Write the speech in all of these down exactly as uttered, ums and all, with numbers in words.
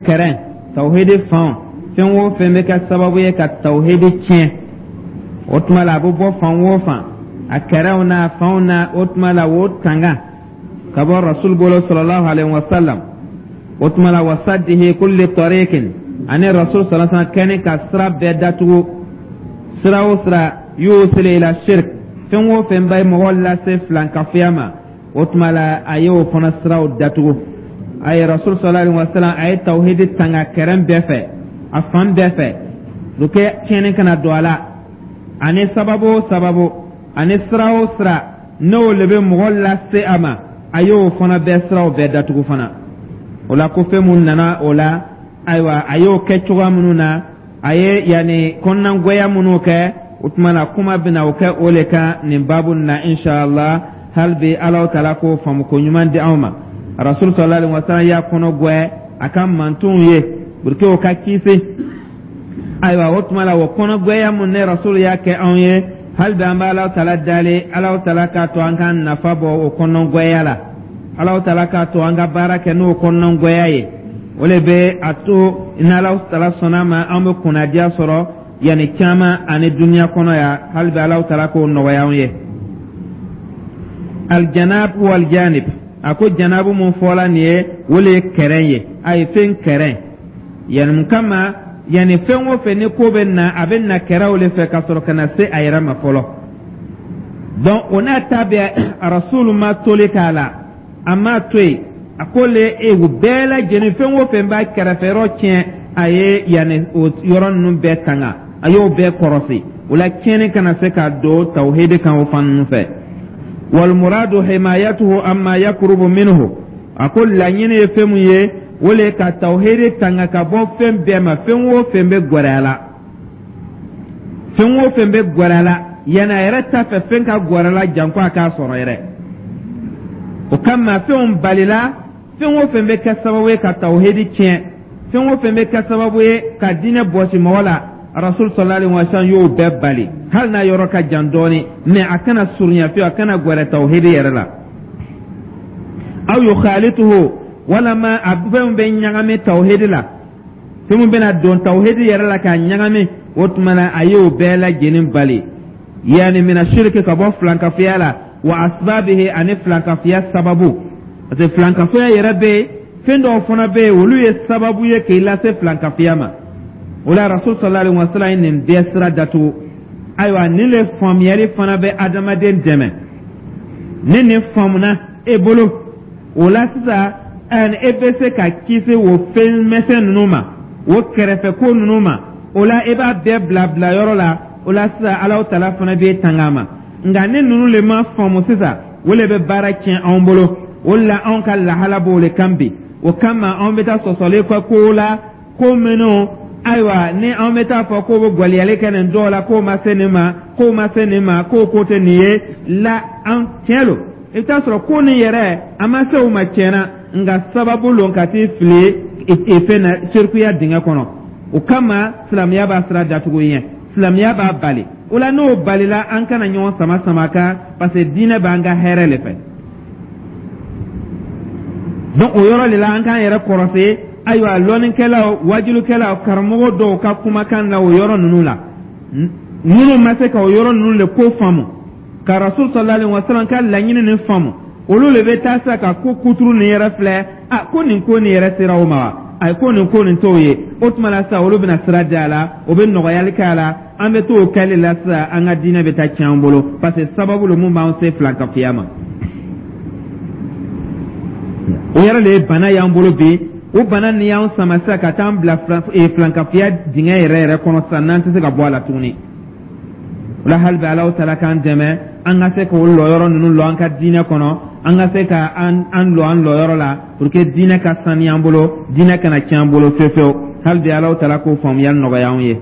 Kɛrɛn tawhidi fan, fɛn o fɛn bɛ kɛ sababu ye ka tawhidi tiɲɛ, o tuma la a bɛ bɔ fan o fan, a kɛrɛw n'a fanw na, o tuma la o tanga ka bɔ Rasul bolo sallallahu alaihi wa sallam. O tuma la wasaddihi kulli tariqin, ani Rasul sallallahu alaihi wa sallam kɛni ka sira bɛɛ datugu, sira o sira yusilu ila shirk, fɛn o fɛn bɛ mɔgɔ lase filankafoya ma, o tuma la a y'o fana siraw datugu. A ye Rasul sallallahu alaihi wa sallam, a ye tawhidi tanga kɛrɛn bɛɛ fɛ, a fan bɛɛ fɛ, pour que tiɲɛni kana don a la, ani sababu o sababu, ani sira o sira n'o le bɛ mɔgɔ lase a ma, a y'o fana bɛɛ siraw bɛɛ datugu fana. O la ko fɛn mun nana o la, ayiwa, a y'o kɛ cogoya minnu na, a ye yanni kɔnɔnagwɛya minnu kɛ, o tuma na kuma bɛna o kɛ o le kan nin baabu na, inshallah. Hali bi Alahu taala k'o faamu ko ɲuman di anw ma. Rasul sallallahu alaihi wa sallam y'a kɔnɔ gwɛ a ka mantonw ye pour que o ka kisi. Ayiwa, o tuma la o kɔnɔgwɛya mun ne Rasul y'a kɛ anw ye, hali bi an bɛ Alahu taala dali, Alahu taala k'a to an ka nafa bɔ o kɔnɔgwɛya la, Alahu taala k'a to an ka baara kɛ n'o kɔnɔgwɛya ye. O le bɛ a to ni Alahu taala sɔnna ma, an bɛ kunnadiya sɔrɔ yanni caman ani duniya kɔnɔ yan. Hali bi Alahu taala k'o nɔgɔya anw ye. Aljanab waljanib, a ko janabu mun fɔla nin ye, o le ye kɛrɛn ye, a ye fɛn kɛrɛn yanni mun kama, yanni fɛn o fɛn ni ko bɛ na, a bɛ na kɛrɛw le fɛ ka sɔrɔ ka na se a yɛrɛ ma fɔlɔ. Donc o n'a ta bɛɛ, Rasulu ma toli k'a la, a m'a to yen. A ko le e o bɛɛ lajɛlen, fɛn o fɛn b'a kɛrɛfɛ yɔrɔ tiɲɛ, a ye yanni o yɔrɔ ninnu bɛɛ tanga, a y'o bɛɛ kɔrɔsi. O la tiɲɛni kana se ka don tawhidi kan o fan ninnu fɛ. Walmuradu himayatuhu amma yakrubu minhu, a ko laɲini ye fɛn mun ye, o le ka tawhidi tanga ka bɔ fɛn bɛɛ ma, fɛn o fɛn bɛ gwɛrɛ a la, fɛn o fɛn bɛ gwɛrɛ a la, yanni a yɛrɛ t'a fɛ fɛn ka gwɛrɛ a la, janko a k'a sɔrɔ yɛrɛ. O kama fɛnw balila, fɛn o fɛn bɛ kɛ sababu ye ka tawhidi tiɲɛ, fɛn o fɛn bɛ kɛ sababu ye ka diinɛ bɔsi mɔgɔ la, Rasul sallallahu alaihi wa sallam y'o bɛɛ bali, hali n'a yɔrɔ ka jan dɔɔni, mais a kana surunya fiyewu, a kana gwɛrɛ tawhidi yɛrɛ la. Aw yukhalituhu, walama a fɛnw bɛ ɲagami tawhidi la, fɛn min bɛna don tawhidi yɛrɛ la k'a ɲagami, o tuma na a y'o bɛɛ lajɛlen bali, yanni mina shiriki, ka bɔ filankafoya la, wa asbabihi, ani filankafoya sababu, parce que filankafoya yɛrɛ bɛ yen, fɛn dɔw fana bɛ yen, olu ye sababu ye k'i lase filankafoya ma. O la Rasul sallallahu alaihi wa sallam ye nin bɛɛ sira datugu. Ayiwa, nin le faamuyali fana bɛ adamaden dɛmɛ. Ni nin faamuna e bolo, o la sisan e bɛ se ka kisi o fɛn misɛn ninnu ma, o kɛrɛfɛ ko ninnu ma. O la e b'a bɛɛ bila bila yɔrɔ la. O la sisan Alahu taala fana b'e tanga a ma. Nka ni ninnu le ma faamu sisan, o le bɛ baara tiɲɛ anw bolo. O de la anw ka lahala b'o le kan bi. O kama anw bɛ taa sɔsɔli kɛ kow la, ko minnu, ayiwa, ni anw bɛ taa fɔ k'o bɛ gwaliyali kɛ nin dɔw la, k'o ma se nin ma, k'o ma se nin ma, k'o ko tɛ nin ye la. An tiɲɛ lo, i bɛ taa sɔrɔ ko nin yɛrɛ a ma se o ma tiɲɛna, nka sababu lo ka t'i fili fɛn na, sirikuya dingɛ kɔnɔ. O kama silamɛya b'a sira datugu ɲɛ, silamɛya b'a bali. O la n'o balila, an kana ɲɔgɔn sama sama kan, parce que diinɛ b'an ka hɛrɛ le fɛ. Donc o yɔrɔ de la an k'an yɛrɛ kɔrɔsi. Ayiwa, lɔnnikɛlaw, wajulukɛlaw, karamɔgɔ dɔw ka kumakan na o yɔrɔ ninnu la, minnu ma se ka o yɔrɔ ninnu le ko faamu, ka Rasul sallallahu alaihi wa sallam ka laɲini nin faamu, olu le bɛ taa sa ka ko kuturu nin yɛrɛ filɛ. A ko nin ko nin yɛrɛ sera o ma wa? Ayi, ko nin ko nin t'o ye. O tuma la sisan olu bɛna sira di a la, o bɛ nɔgɔyali kɛ a la. An bɛ t'o kɛli la sisan, an ka diinɛ bɛ taa tiɲɛ an bolo, parce que sababu lo mun b'an se filankafoya ma. O yɛrɛ de ye bana y'an bolo bi. O bana nin y'an sama sisan ka taa an bila filankafoya dingɛ yɛrɛ yɛrɛ kɔnɔ sisan, n'an tɛ se ka bɔ a la tuguni. O la hali bi Alahu taala k'an dɛmɛ, an ka se k'o lɔyɔrɔ ninnu lɔ an ka diinɛ kɔnɔ, an ka se ka an an lɔ an lɔyɔrɔ la pour que diinɛ ka saniya an bolo, diinɛ kana tiɲɛ an bolo fewu fewu. Hali bi Alahu taala k'o faamuyali nɔgɔya anw ye.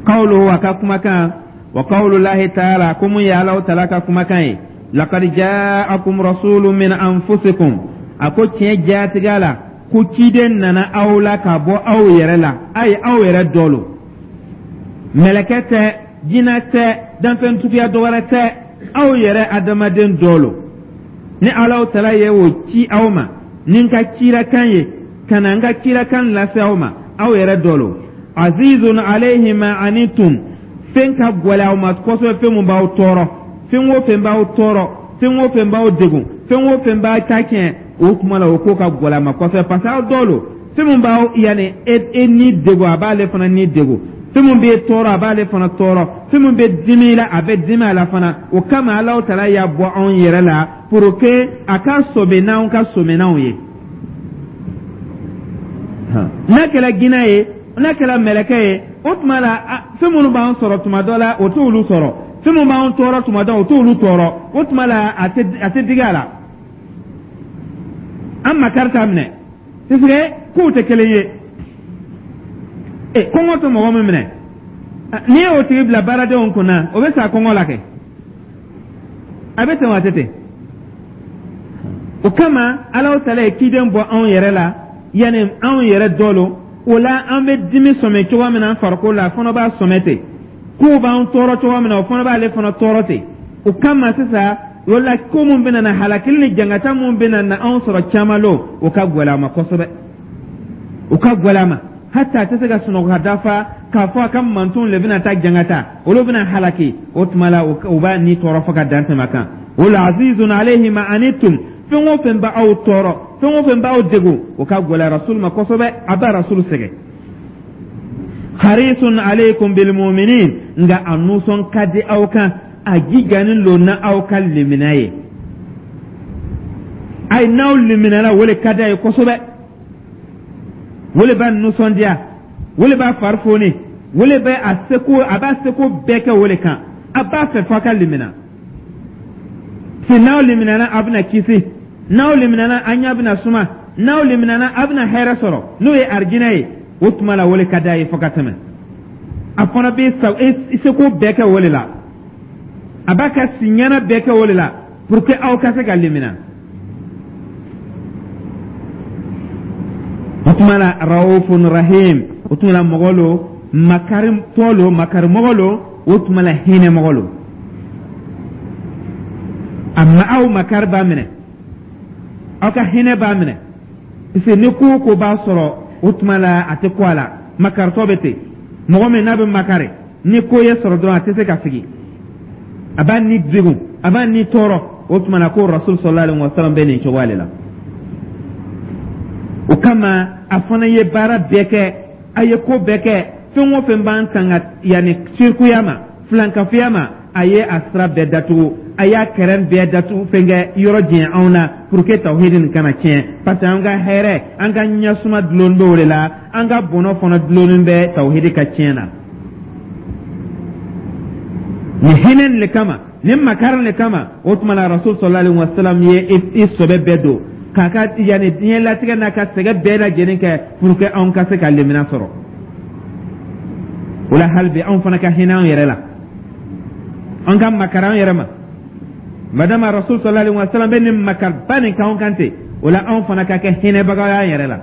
Qawluhu, a ka kumakan, wa qawlu lahi taala, ko mun ye Alahu taala ka kumakan ye: laqad ja'akum rasulun min anfusikum, a ko tiɲɛ jatigɛ la ko ciden nana aw la ka bɔ aw yɛrɛ la. A ye aw yɛrɛ dɔ lo, mɛlɛkɛ tɛ, jinɛ tɛ, danfɛntuguya dɔ wɛrɛ tɛ, aw yɛrɛ adamaden dɔ lo. Ni Alahu taala ye o ci aw ma ni n ka cirakan ye. Ka na n ka kirakan lase aw ma, aw yɛrɛ dɔ lo. Azizun alayhi ma anitum, fɛn ka gɛlɛn aw ma kosɛbɛ, fɛn mun b'aw tɔɔrɔ, fɛn o fɛn b'aw tɔɔrɔ, fɛn o fɛn b'aw degun, fɛn o fɛn b'a ta tiɲɛ, o tuma la o ko ka gɛlɛn a ma kosɛbɛ, parce que aw dɔ lo. Fɛn mun b'aw yanni e e ni degun, a b'ale fana ni degun. Fɛn mun b'e tɔɔrɔ, a b'ale fana tɔɔrɔ. Fɛn mun bɛ dimi la, a bɛ dimi a la fana. O kama Alahu Taala y'a bɔ anw yɛrɛ la pour que a ka sɔbɛ n'anw ka sɔminanw ye. N'a kɛra ginɛ ye, n'a kɛra mɛlɛkɛ ye, o tuma la fɛn minnu b'an sɔrɔ tuma dɔ la, o t'olu sɔrɔ. Fɛn minnu b'an tɔɔrɔ tuma dɔ, o t'olu tɔɔrɔ. O tuma la a tɛ a tɛ digi a la, an makari t'a minɛ, puisque kow tɛ kelen ye. E kɔngɔ tɛ mɔgɔ min minɛ, n'i y'o tigi bila baaradenw kunna, o bɛ sa kɔngɔ la kɛ, a bɛ ten wa? A tɛ ten. O kama Alahu Taala ye ciden bɔ anw yɛrɛ la, yanni anw yɛrɛ dɔ lo. O la an bɛ dimi sɔmɛ cogoya min na an farikolo la, a fana b'a sɔmɛ ten. Kow b'an tɔɔrɔ cogoya min na, o fana b'ale fana tɔɔrɔ ten. O kama sisan o la, ko mun bɛna na, halakili ni jangata mun bɛna na anw sɔrɔ caman lo, o ka gɛlɛn a ma kosɛbɛ, o ka gɛlɛn a ma. Hata a tɛ se ka sunɔgɔ ka dafa k'a fɔ a ka mantonw le bɛna taa jangata, olu bɛna halaki. O tuma la o b'a ni tɔɔrɔ fo ka dan tɛmɛ kan. O la azizun alayhi ma anittum, fɛn o fɛn b'aw tɔɔrɔ, fɛn o fɛn b'aw degun, o ka gɛlɛn Rasul ma kosɛbɛ, a b'a Rasul sɛgɛn. Harisun alaykum bil mu'minin, nka a nusɔn ka di aw kan, a jijanin lo na aw ka limina ye. Ayi, n'aw liminala, o le ka di a ye kosɛbɛ, o le b'a nisɔndiya, o le b'a fari foni, o le bɛ a seko, a b'a seko bɛɛ kɛ o le kan. A b'a fɛ f'a ka limina se. N'aw liminana, a bɛna kisi. N'aw liminana, an ɲɛ bɛna suma. N'aw liminana, a bɛna hɛrɛ sɔrɔ, n'o ye arijinɛ ye. O tuma la o le ka d'a ye fo ka tɛmɛ. A fana bɛ seko bɛɛ kɛ o le la, a b'a ka siɲɛna bɛɛ kɛ o le la pour que aw ka se ka limina. O tuma la raufun rahim, o tuma la mɔgɔ lo makaritɔ lo, makarimɔgɔ lo, o tuma la hinɛ mɔgɔ lo. A ma aw makari b'a minɛ, aw ka hinɛ b'a minɛ, parce que ni ko o ko b'a sɔrɔ, o tuma la a tɛ ko a la. Makaritɔ bɛ ten, mɔgɔ min n'a bɛ makari, ni ko ye sɔrɔ dɔrɔn, a tɛ se ka sigi, a b'a ni degun, a b'a ni tɔɔrɔ. O tuma na ko Rasul sallallahu alaihi wa sallam bɛ nin cogoya de la. O kama a fana ye baara bɛɛ kɛ, a ye ko bɛɛ kɛ, fɛn o fɛn b'an tanga yanni sirikuya ma, filankafoya ma, a ye a sira bɛɛ datugu, a y'a kɛrɛn bɛɛ datugu, fɛn kɛ yɔrɔ jɛn anw na pour que tawhidi nin kana tiɲɛ, parce que an ka hɛrɛ, an ka ɲɛsuma dulon bɛ o de la, an ka bɔnɔ fana dulonnen bɛ tawhidi ka tiɲɛ na. Nin hinɛ nin le kama, nin makari le kama, o tuma la Rasul sallallahu alaihi wa sallam ye i sɔbɛ bɛɛ don k'a ka yanni diɲɛlatigɛ n'a ka sɛgɛn bɛɛ lajɛlen kɛ pour que anw ka se ka lemina sɔrɔ. O la hali bi anw fana ka hinɛ anw yɛrɛ la, an ka makari an yɛrɛ ma. Madama Rasul sallallahu alaihi wa sallam bɛ nin makariba nin k'anw kan ten, o la anw fana ka kɛ hinɛbagaw y'an yɛrɛ la.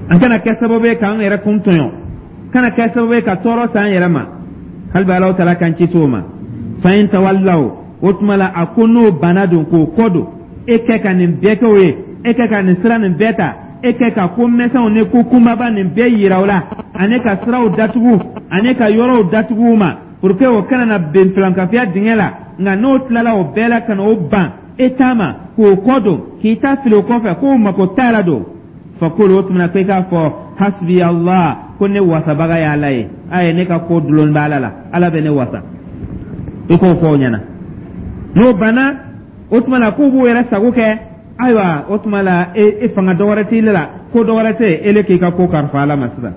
An kana kɛ sababu ye k'an yɛrɛ kun tɔɲɔ, kana kɛ sababu ye ka tɔɔrɔ s'an yɛrɛ ma. Hali bi Alahu Taala k'an kisi o ma. Fa in tawallaw, o tuma la a ko n'o banna don k'o kɔ don, e kɛ ka nin bɛɛ kɛ o ye, e kɛ ka nin sira nin bɛɛ ta, e kɛ ka ko mɛsɛnw ni ko kunbaba nin bɛɛ yira o la, ani ka siraw datugu, ani ka yɔrɔw datugu u ma pour que o kana na ben filankafoya dingɛ la. Nka n'o tilala o bɛɛ la ka na o ban e ta ma k'o kɔ don, k'i ta fili o kɔfɛ k'o mako t'a la don, fakulu, o tuma na ko i k'a fɔ hasbi Allah, ko ne wasabaga ye Ala ye, a ye ne ka ko dulon bɛ Ala la, Ala bɛ ne wasa. I k'o fɔ o ɲɛna. N'o banna, o tuma na k'u b'u yɛrɛ sago kɛ, ayiwa, o tuma la e, e fanga dɔ wɛrɛ t'i la, ko dɔ wɛrɛ tɛ e le k'i ka ko kalifa Ala ma sisan.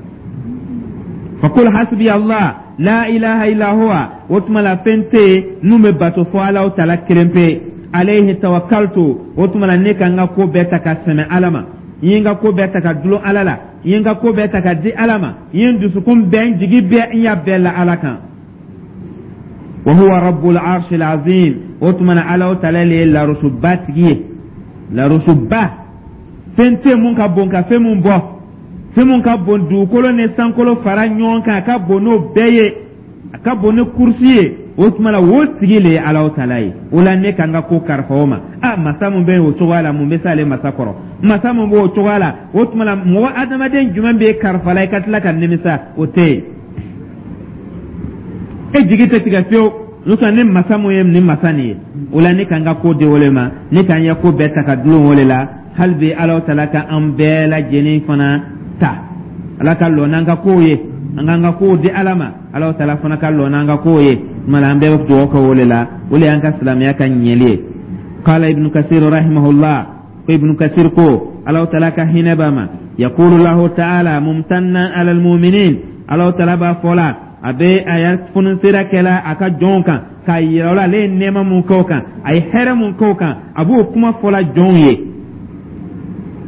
Fakul hasbi Allah la ilaha illa huwa, o tuma la fɛn tɛ yen n'u bɛ bato fɔ Alahu Taala kelen pe. Alayhi tawakkaltu, o tuma la ne ka n ka ko bɛɛ ta ka sɛmɛ Ala ma, n ye n ka ko bɛɛ ta ka dulon Ala la, n ye n ka ko bɛɛ ta ka di Ala ma, n ye n dusukun bɛɛ, n jigi bɛɛ, n y'a bɛɛ la Ala kan. Wa huwa rabbul arshil azim, o tuma na Alahu Taala le ye larusuba tigi ye. Larusuba, fɛn tɛ mun ka bon ka fɛn mun bɔ, fɛn mun ka bon dugukolo ni sankolo fara ɲɔgɔn kan, a ka bon n'o bɛɛ ye, a ka bon ni kurusi ye. O tuma la o tigi le ye Alahu Taala ye. O la ne ka n ka ko kalifa o ma. A masa mun bɛ yen o cogoya la, mun bɛ s'ale masa kɔrɔ? Masa mun b'o cogoya la, o tuma la, mɔgɔ adamaden jumɛn b'e karifa la i ka tila ka nimisa? O tɛ yen. E jigi tɛ tigɛ fiyewu, n'o tɛ ni masa mun ye nin masa nin ye. O la, ne ka n ka ko di o le ma, ne ka n ya ko bɛɛ ta ka dulon o le la. Hali bi, Ala tala ka an bɛɛ lajɛlen fana ta, Ala ka lɔ n'an ka kow ye. An k'an ka kow di Ala ma, Ala tala fana ka lɔ n'an ka kow ye. Tuma la, an bɛɛ bɛ dugawu kɛ o le la. O le y'an ka silamɛya ka ɲɛli ye. Qala Ibnu Kasir rahimahullah, ko Ibnu Kasir ko, Ala tala ka hinɛ b'a ma, yaqulu lahu ta'ala mumtannan ala almu'minin, Ala tala b'a fɔ la, a bɛ a ya fununsira kɛla a ka jɔnw kan k'a yira o la, ale ye nɛɛma mun kɛ o kan, a ye hɛrɛ mun kɛ o kan, a b'o kuma fɔla jɔnw ye.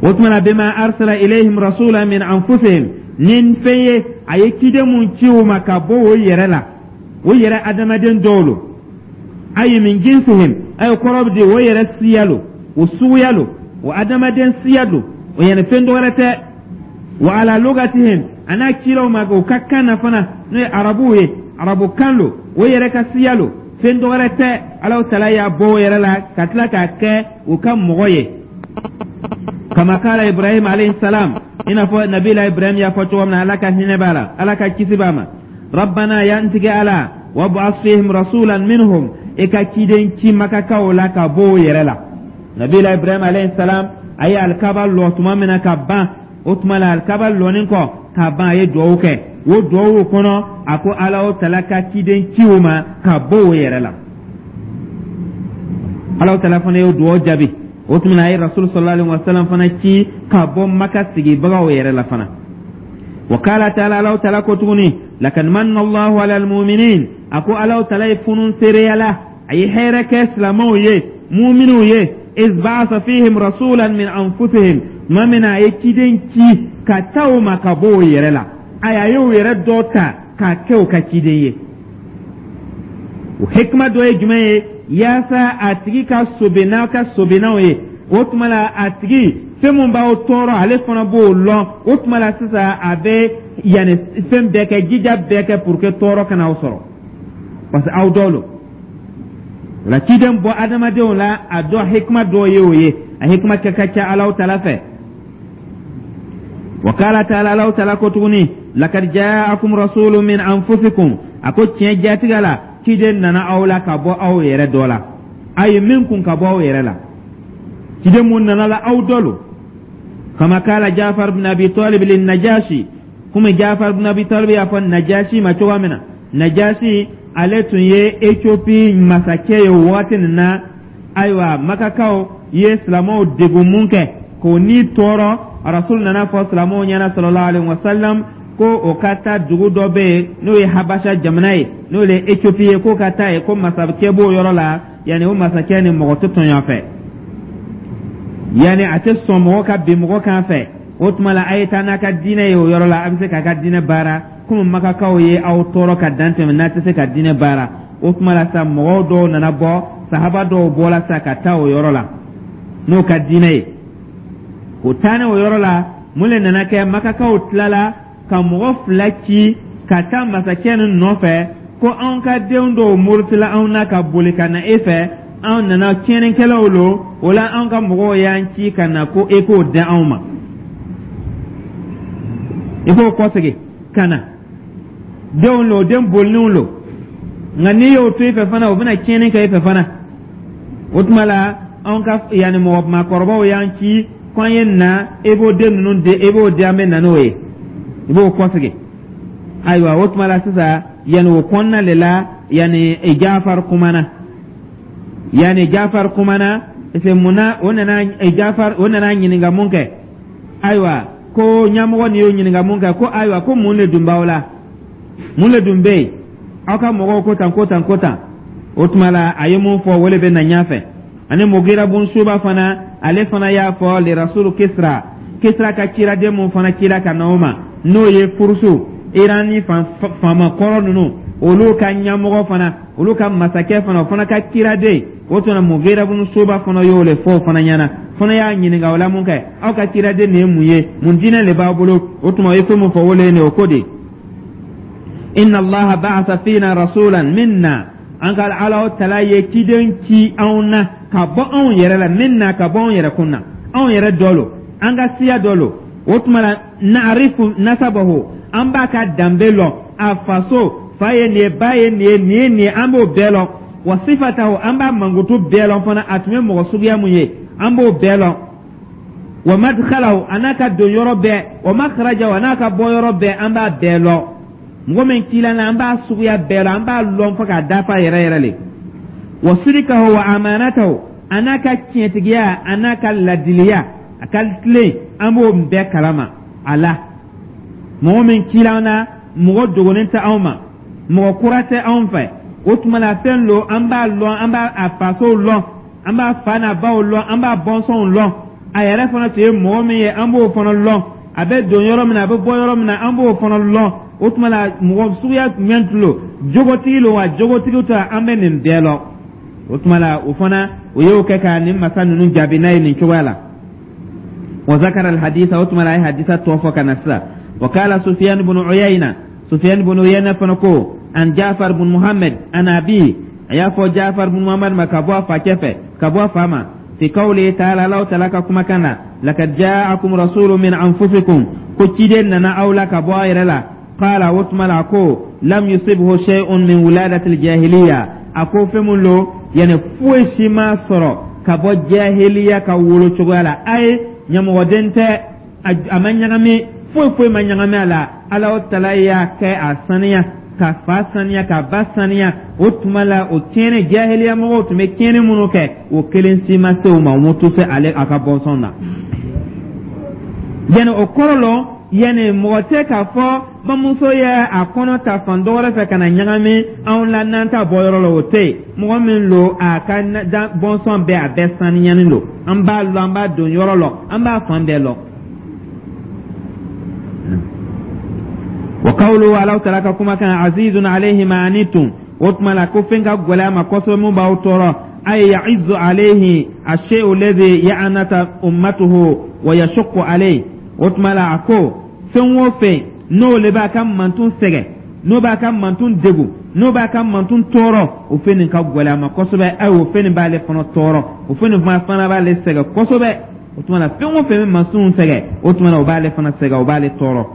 O tuma na, bima arsala ilayhim rasula min anfusihim, ni fɛn ye a ye ciden mun ci o ma ka bɔ o yɛrɛ la, o yɛrɛ adamaden dɔw lo, ayi min jinsihim, ayi kɔrɔ bɛ di, o yɛrɛ siya lo, o suguya lo, o adamaden siya lo, o yɛrɛ fɛn dɔ wɛrɛ tɛ, wa ala lugatihim, a n'a cilaw ma o ka kan na fana, n'o ye arabuw ye, arabukan lo, o yɛrɛ ka siya lo, fɛn dɔ wɛrɛ tɛ. Alahu tala y'a bɔ o yɛrɛ la ka tila k'a kɛ u ka mɔgɔ ye. Kama kala Ibrahim alayhi salam, i n'a fɔ nabila Ibrahim y'a fɔ cogo min na, Ala ka hinɛ b'a la, Ala ka kisi b'a ma: rabbana, ya n tigi Ala, wab'as fihim rasulan minhum, i ka ciden ci Makakaw la ka bɔ o yɛrɛ la. Nabila Ibrahim alayhi salam, a ye Alikaba lɔ tuma min na ka ban, o tuma la, Alikaba lɔnin kɔ ka ban, a ye duwawu kɛ. O duwawu kɔnɔ, a ko Ala o tala ka ciden ci o ma ka bɔ o yɛrɛ la. Ala o tala fana y'o duwawu jaabi. O tuma na, a ye Rasul sallallahu alaihi wasallam fana ci ka bɔ Maka sigibagaw yɛrɛ la fana. Wa kala taala, Ala tala ko tuguni: lakad manna Allahu ala almu'minin, a ko Ala tala ye funun seereya la, a ye hɛrɛ kɛ silamɛw ye, muminw ye, iz ba'atha fihim rasulan min anfusihim, tuma min na a ye ciden ci ka taa o ma ka bɔ o yɛrɛ la, ayi, a y'o yɛrɛ dɔ ta k'a kɛ o ka ciden ye. O hikima dɔ ye jumɛn ye? Yaasa a tigi ka sobe n'a ka sobenaw ye. O tuma la, a tigi fɛn mun b'aw tɔɔrɔ, ale fana b'o lɔn. O tuma la sisan, a bɛ yanni fɛn bɛɛ kɛ, jija bɛɛ kɛ pour que tɔɔrɔ kana aw sɔrɔ, parce que aw dɔ lo. O la, ciden bɔ adamadenw la, a dɔ hikima dɔ ye o ye. A hikima kɛ ka ca Alaw tala fɛ. Wa kala taala, Alaw tala ko tuguni: lakad jaakum rasulun min anfusikum, a ko tiɲɛ jatigɛ la, ciden nana aw la ka bɔ aw yɛrɛ dɔ la, a ye min kun ka bɔ aw yɛrɛ la, ciden mun nana la, aw dɔ lo. Kama kala Jafar bin Abi Talib lin Najasi, komi Jafar bin Abi Talib y'a fɔ Najasi ma cogoya min na. Najasi, ale tun ye Ethiopie masakɛ ye o waati nin na. Ayiwa, Makakaw ye silamɛw degun mun kɛ k'o ni tɔɔrɔ, Rasul nana fɔ silamɛw ɲɛna sallallahu alaihi wasallam ko o ka taa dugu dɔ bɛ yen, n'o ye Habasha jamana ye, n'o ye Ethiopie ye, k'o ka taa yen, ko masakɛ b'o yɔrɔ la. Yanni o masakɛ ni mɔgɔ tɛ tɔɲɔ fɛ, yanni a tɛ sɔn mɔgɔ ka bin mɔgɔ kan fɛ. O tuma la, a ye taa n'a ka diinɛ ye o yɔrɔ la, a bɛ se k'a ka diinɛ baara, komi Makakaw ye aw tɔɔrɔ ka dan tɛmɛ n'a tɛ se ka diinɛ baara. O tuma la sa, mɔgɔw dɔw nana bɔ, sahaba dɔw bɔra sa ka taa o yɔrɔ la n'o ka diinɛ ye. O taalen o yɔrɔ la, mun le nana kɛ? Makakaw tilala ka mɔgɔ fila ci ka taa masakɛ nin nɔfɛ ko anw ka denw dɔw murutila anw na ka boli ka na e fɛ, anw nana tiɲɛnikɛlaw lo, o la anw ka mɔgɔw y'an ci ka na ko e k'o di anw ma, i k'o kɔsegin ka na. Denw lo, den bolininw lo, nka n'i y'o to i fɛ fana, o bɛna tiɲɛni kɛ i fɛ fana. O tuma la, anw ka yanni mɔgɔ maakɔrɔbaw y'an ci ko an ye na, e b'o den ninnu di, e b'o di, an bɛ na n'o ye, i b'o kɔsegin. Ayiwa, o tuma la sisan, yanni o kɔnɔna de la, yanni Jafar kumana, yanni Jafar kumana, parce que munna o nana Jafar, o nana ɲininka mun kɛ? Ayiwa, ko ɲɛmɔgɔ nin y'o ɲininka mun kɛ, ko ayiwa, ko mun de dun b'aw la, mun de dun bɛ yen, aw ka mɔgɔw ko tan, ko tan, ko tan. O tuma la, a ye mun fɔ, o de bɛ na ɲɛfɛ. Ani Mugira bun Suba fana, ale fana y'a fɔ le rasulu Kisra, Kisra ka ciraden mun fana cira ka na o ma, n'o ye Furusu, Iran ni faama kɔrɔ ninnu, olu ka ɲɛmɔgɔ fana, olu ka masakɛ fana, o fana ka ciraden. O tuma, Mugira bun Suba fana y'o le fɔ o fana ɲɛna, fana y'a ɲininka o la mun kɛ: aw ka ciraden nin ye mun ye, mun diinɛ le b'a bolo? O tuma, o ye fɛn mun fɔ, o le ye nin ye. O ko de: inna Allaha ba'atha fina rasulan minna, an ka Ala tala ye ciden ci anw na ka bɔ anw yɛrɛ la, minna, ka bɔ anw yɛrɛ kun na, anw yɛrɛ dɔ lo. An ka siya dɔ lo. O tuma la, na'rifu nasabahu, an b'a ka danbe lɔn, a faso, fa ye nin ye, ba ye nin ye, nin ye nin ye, an b'o bɛɛ lɔn. Wa sifatahu, an b'a mankutu bɛɛ lɔn fana, a tun ye mɔgɔ suguya mun ye, an b'o bɛɛ lɔn. Wa madkhalahu, a n'a ka don yɔrɔ bɛɛ, wa makhrajahu, a n'a ka bɔ yɔrɔ bɛɛ, an b'a bɛɛ lɔn. Mɔgɔ min cila la, an b'a suguya bɛɛ lɔn, an b'a lɔn fo k'a dafa yɛrɛ yɛrɛ le. Wa sidikahu wa amanatahu, a n'a ka tiɲɛtigiya, a n'a ka ladiliya, a ka tilen, an b'o bɛɛ kalama a la. Mɔgɔ min cila an na, mɔgɔ dogolen tɛ anw ma, mɔgɔ kura tɛ anw fɛ. O tuma la, fɛn lo, an b'a lɔn, an b'a a fasow lɔn, an b'a fa n'a baw lɔn, an b'a bɔnsɔnw lɔn. A yɛrɛ fana tun ye mɔgɔ min ye, an b'o fana lɔn. A bɛ don yɔrɔ min na, a bɛ bɔ yɔrɔ min na, an b'o fana lɔn. O tuma la, mɔgɔ suguya jumɛn tun lo, jogotigi lo wa jogotigi tɛ, an bɛ nin bɛɛ lɔn. O tuma la, o fana o y'o kɛ ka nin masa ninnu jaabi n'a ye nin cogoya la. Wa zakara alhadisa, o tuma la, a ye hadisa tɔ fɔ ka na sisan. Wa kala Sufyan ibn Uyayna, Sufyan ibn Uyayna fana ko an Jafar bin Muhammad an abi, a y'a fɔ Jafar bin Muhammad ma ka bɔ a facɛ fɛ, ka bɔ a fa ma, fi qawli ta'ala, Allahu ta'ala ka kumakan na, laqad ja'akum rasulun min anfusikum, ko ciden nana aw la ka bɔ a yɛrɛ la. Qala, o tuma la, ko lam yusibhu shay'un min wuladati al-jahiliya, a ko fɛn mun lo, yani foyi si ma sɔrɔ ka bɔ jahiliya ka wolo cogoya la. A ye ɲɛmɔgɔden tɛ, a ma ɲagami, foyi foyi ma ɲagami a la. Ala tala y'a kɛ a saniya, ka fa saniya, ka ba saniya. O tuma la, o tiɲɛni, jahiliya mɔgɔw tun bɛ tiɲɛni minnu kɛ, o kelen si ma se o ma, o ma to se ale a ka bɔnsɔn na. Yani o kɔrɔ lɔ, yani mɔgɔ tɛ k'a fɔ bamuso ye a kɔnɔ ta fan dɔ wɛrɛ fɛ ka na ɲagami anw la n'an t'a bɔ yɔrɔ la, o tɛ yen. Mɔgɔ min lo, a ka bɔnsɔn bɛɛ, a bɛɛ saniyani lo. An b'a lɔn, an b'a don yɔrɔ lɔ, an b'a fan bɛɛ lɔn. Wa qawluhu, Alahu taala ka kuma kan, azizun alayhi ma anittum, o tuma la, ko fɛn ka gɛlɛn a ma kosɛbɛ mun b'aw tɔɔrɔ, ay ya'izu alayhi ash-shay'u alladhi ya'anata ummatuhu wa yashuqqu alayhi. O tuma la, a ko fɛn o fɛn n'o le b'a ka mantun sɛgɛn, n'o b'a ka mantun degun, n'o b'a ka mantun tɔɔrɔ, o fɛn nin ka gɛlɛn a ma kosɛbɛ. Ayi, o fɛn nin b'ale fana tɔɔrɔ, o fɛn nin fana b'ale sɛgɛn kosɛbɛ. O tuma la, fɛn o fɛn bɛ mantun sɛgɛn, o tuma la, o b'ale fana sɛgɛn, o b'ale tɔɔrɔ.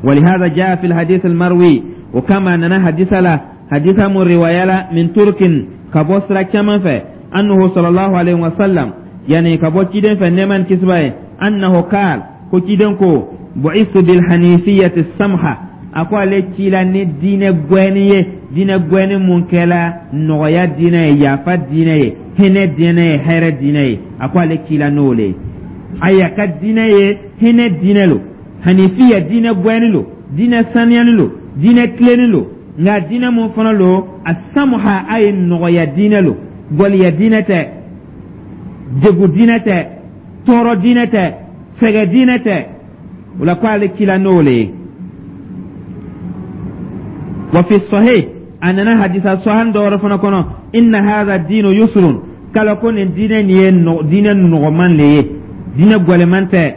ولهذا جاء في الحديث المروي، وكما ننا حديث لا حديث من رواية من ترك كبوسرا كما في أنه صلى الله عليه وسلم، يعني كبو تشيدن في نيمان كسباي، أنه قال، كو تشيدن كو بعثت بالحنيفية السمحة، a ko ale cila ni diinɛ gwɛni ye, diinɛ gwɛni mun kɛla nɔgɔya diinɛ ye, yafa diinɛ ye, hinɛ diinɛ ye, hɛrɛ diinɛ ye. A ko ale cila n'o le ye. Ayi, a ka diinɛ ye hinɛ diinɛ lo, hanifiya diinɛ gwɛni lo, diinɛ saniyani lo, diinɛ tilenni lo. Nka diinɛ mun fana lo, a samuha, a ye nɔgɔya diinɛ lo, gɔliya diinɛ tɛ, degu diinɛ tɛ, tɔɔrɔ diinɛ tɛ, sɛgɛ diinɛ tɛ. O la, ko ale cila n'o le ye. Wa fi sahih, a nana hadisa sahan dɔ wɛrɛ fana kɔnɔ, inna hadha diinu yusrun, kala ko nin diinɛ nin ye diinɛ nɔgɔman le ye, diinɛ gwɛlɛman tɛ.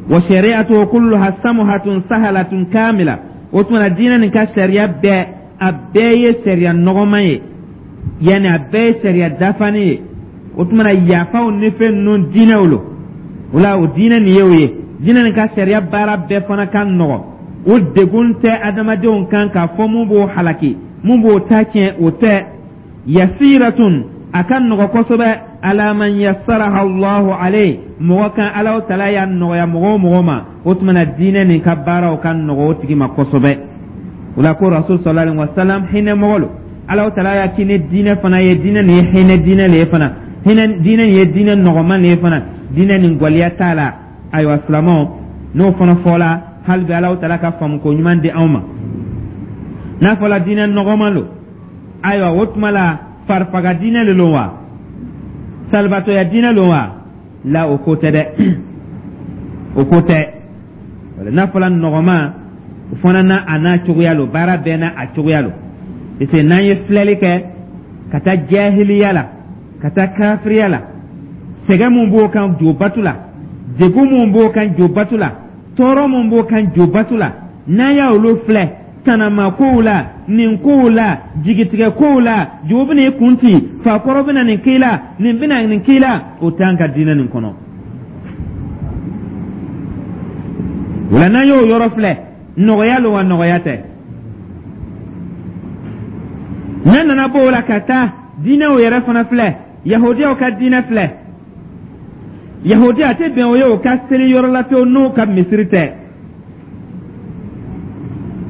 Wa shari'atuhu kulluha samuhatun sahalatun kamila, o tuma na, diinɛ nin ka sariya bɛɛ, a bɛɛ ye sariya nɔgɔman ye, yanni a bɛɛ ye sariya dafanen ye. O tuma na, yafaw ni fɛn ninnu diinɛw lo. O la, o diinɛ nin ye o ye, diinɛ nin ka sariya baara bɛɛ fana ka nɔgɔ, o degun tɛ adamadenw kan k'a fɔ mun b'o halaki, mun b'o ta tiɲɛ, o tɛ. Yasiratun, a ka nɔgɔ kosɛbɛ, ala man yassaraha Allahu alayhi, mɔgɔ kan Alahu taala y'a nɔgɔya mɔgɔ o mɔgɔ ma, o tuma na, diinɛ nin ka baaraw ka nɔgɔ o tigi ma kosɛbɛ. O la, ko rasul sallallahu alaihi wa sallam hinɛ mɔgɔ lo. Alahu taala y'a ci ni diinɛ fana ye, diinɛ nin ye hinɛ diinɛ le ye fana, hinɛ diinɛ nin ye diinɛ nɔgɔman le ye fana, diinɛ nin gwɛlɛya t'a la. Ayiwa silamɛw, n'o fana fɔla, hali bi Alahu taala ka faamuko ɲuman di anw ma. N'a fɔla diinɛ nɔgɔman lo, ayiwa, o tuma la, farifaga diinɛ le lo wa, salibatɔya diinɛ lo wa? La, o ko tɛ dɛ, o ko tɛ. N'a fɔla nɔgɔman, o fana n'a a n'a cogoya lo, baara bɛɛ n'a a cogoya lo, parce que n'an ye filɛli kɛ ka taa jahiliya la, ka taa kafiriya la, sɛgɛn mun b'o kan jobatu la, degun mun b'o kan jobatu la, tɔɔrɔ mun b'o kan jobatu la, n'an y'a olu filɛ, tanama kow la, nin kow la, jigitigɛ kow la, jogo bɛna i kun ci, fakɔrɔ bɛna nin k'i la, nin bɛna nin k'i la, o t'an ka diinɛ nin kɔnɔ. O la, n'an y'o yɔrɔ filɛ, nɔgɔya lo wa nɔgɔya tɛ? N'an nana bɔ o la ka taa diinɛw yɛrɛ fana filɛ, Yahudiyaw ka diinɛ filɛ. Yahudiya, a tɛ bɛn o ye o ka seli yɔrɔ la pewu n'o ka misiri tɛ.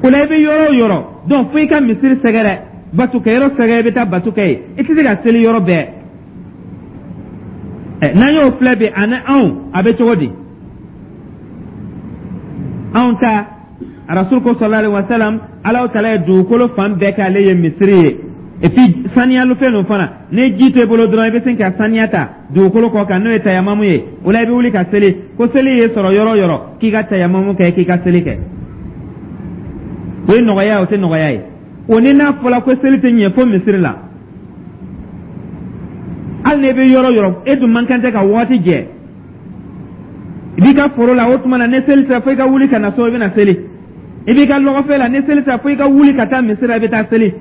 O la, i bɛ yɔrɔ o yɔrɔ donc, fo i ka misiri sɛgɛrɛ, batukɛyɔrɔ sɛgɛrɛ, i bɛ taa batu kɛ yen. I tɛ se ka seli yɔrɔ bɛɛ. Ɛ, n'an y'o filɛ bi, ani anw a bɛ cogo di? Anw ta, Rasul ko sallallahu alaihi wa sallam, Alahu Taala ye dugukolo fan bɛɛ k'ale ye misiri ye. Et puis saniyalifɛn ninnu fana, ni ji t'e bolo dɔrɔn, i bɛ sin ka saniya ta dugukolo kɔ kan, n'o ye tayamamu ye. O la, i bɛ wuli ka seli. Ko seli ye sɔrɔ yɔrɔ o yɔrɔ, k'i ka tayamamu kɛ, k'i ka seli kɛ. O ye nɔgɔya ye, o tɛ nɔgɔya ye? O ni n'a fɔra ko seli tɛ ɲɛ fo misiri la, hali n'e bɛ yɔrɔ o yɔrɔ, e dun man kan tɛ ka waati jɛ. I b'i ka foro la, o tuma na ni seli sera, fo i ka wuli ka na so, i bɛ na seli. I b'i ka lɔgɔfɛ la, ni seli sera, fo i ka wuli ka taa misiri la, i bɛ taa seli.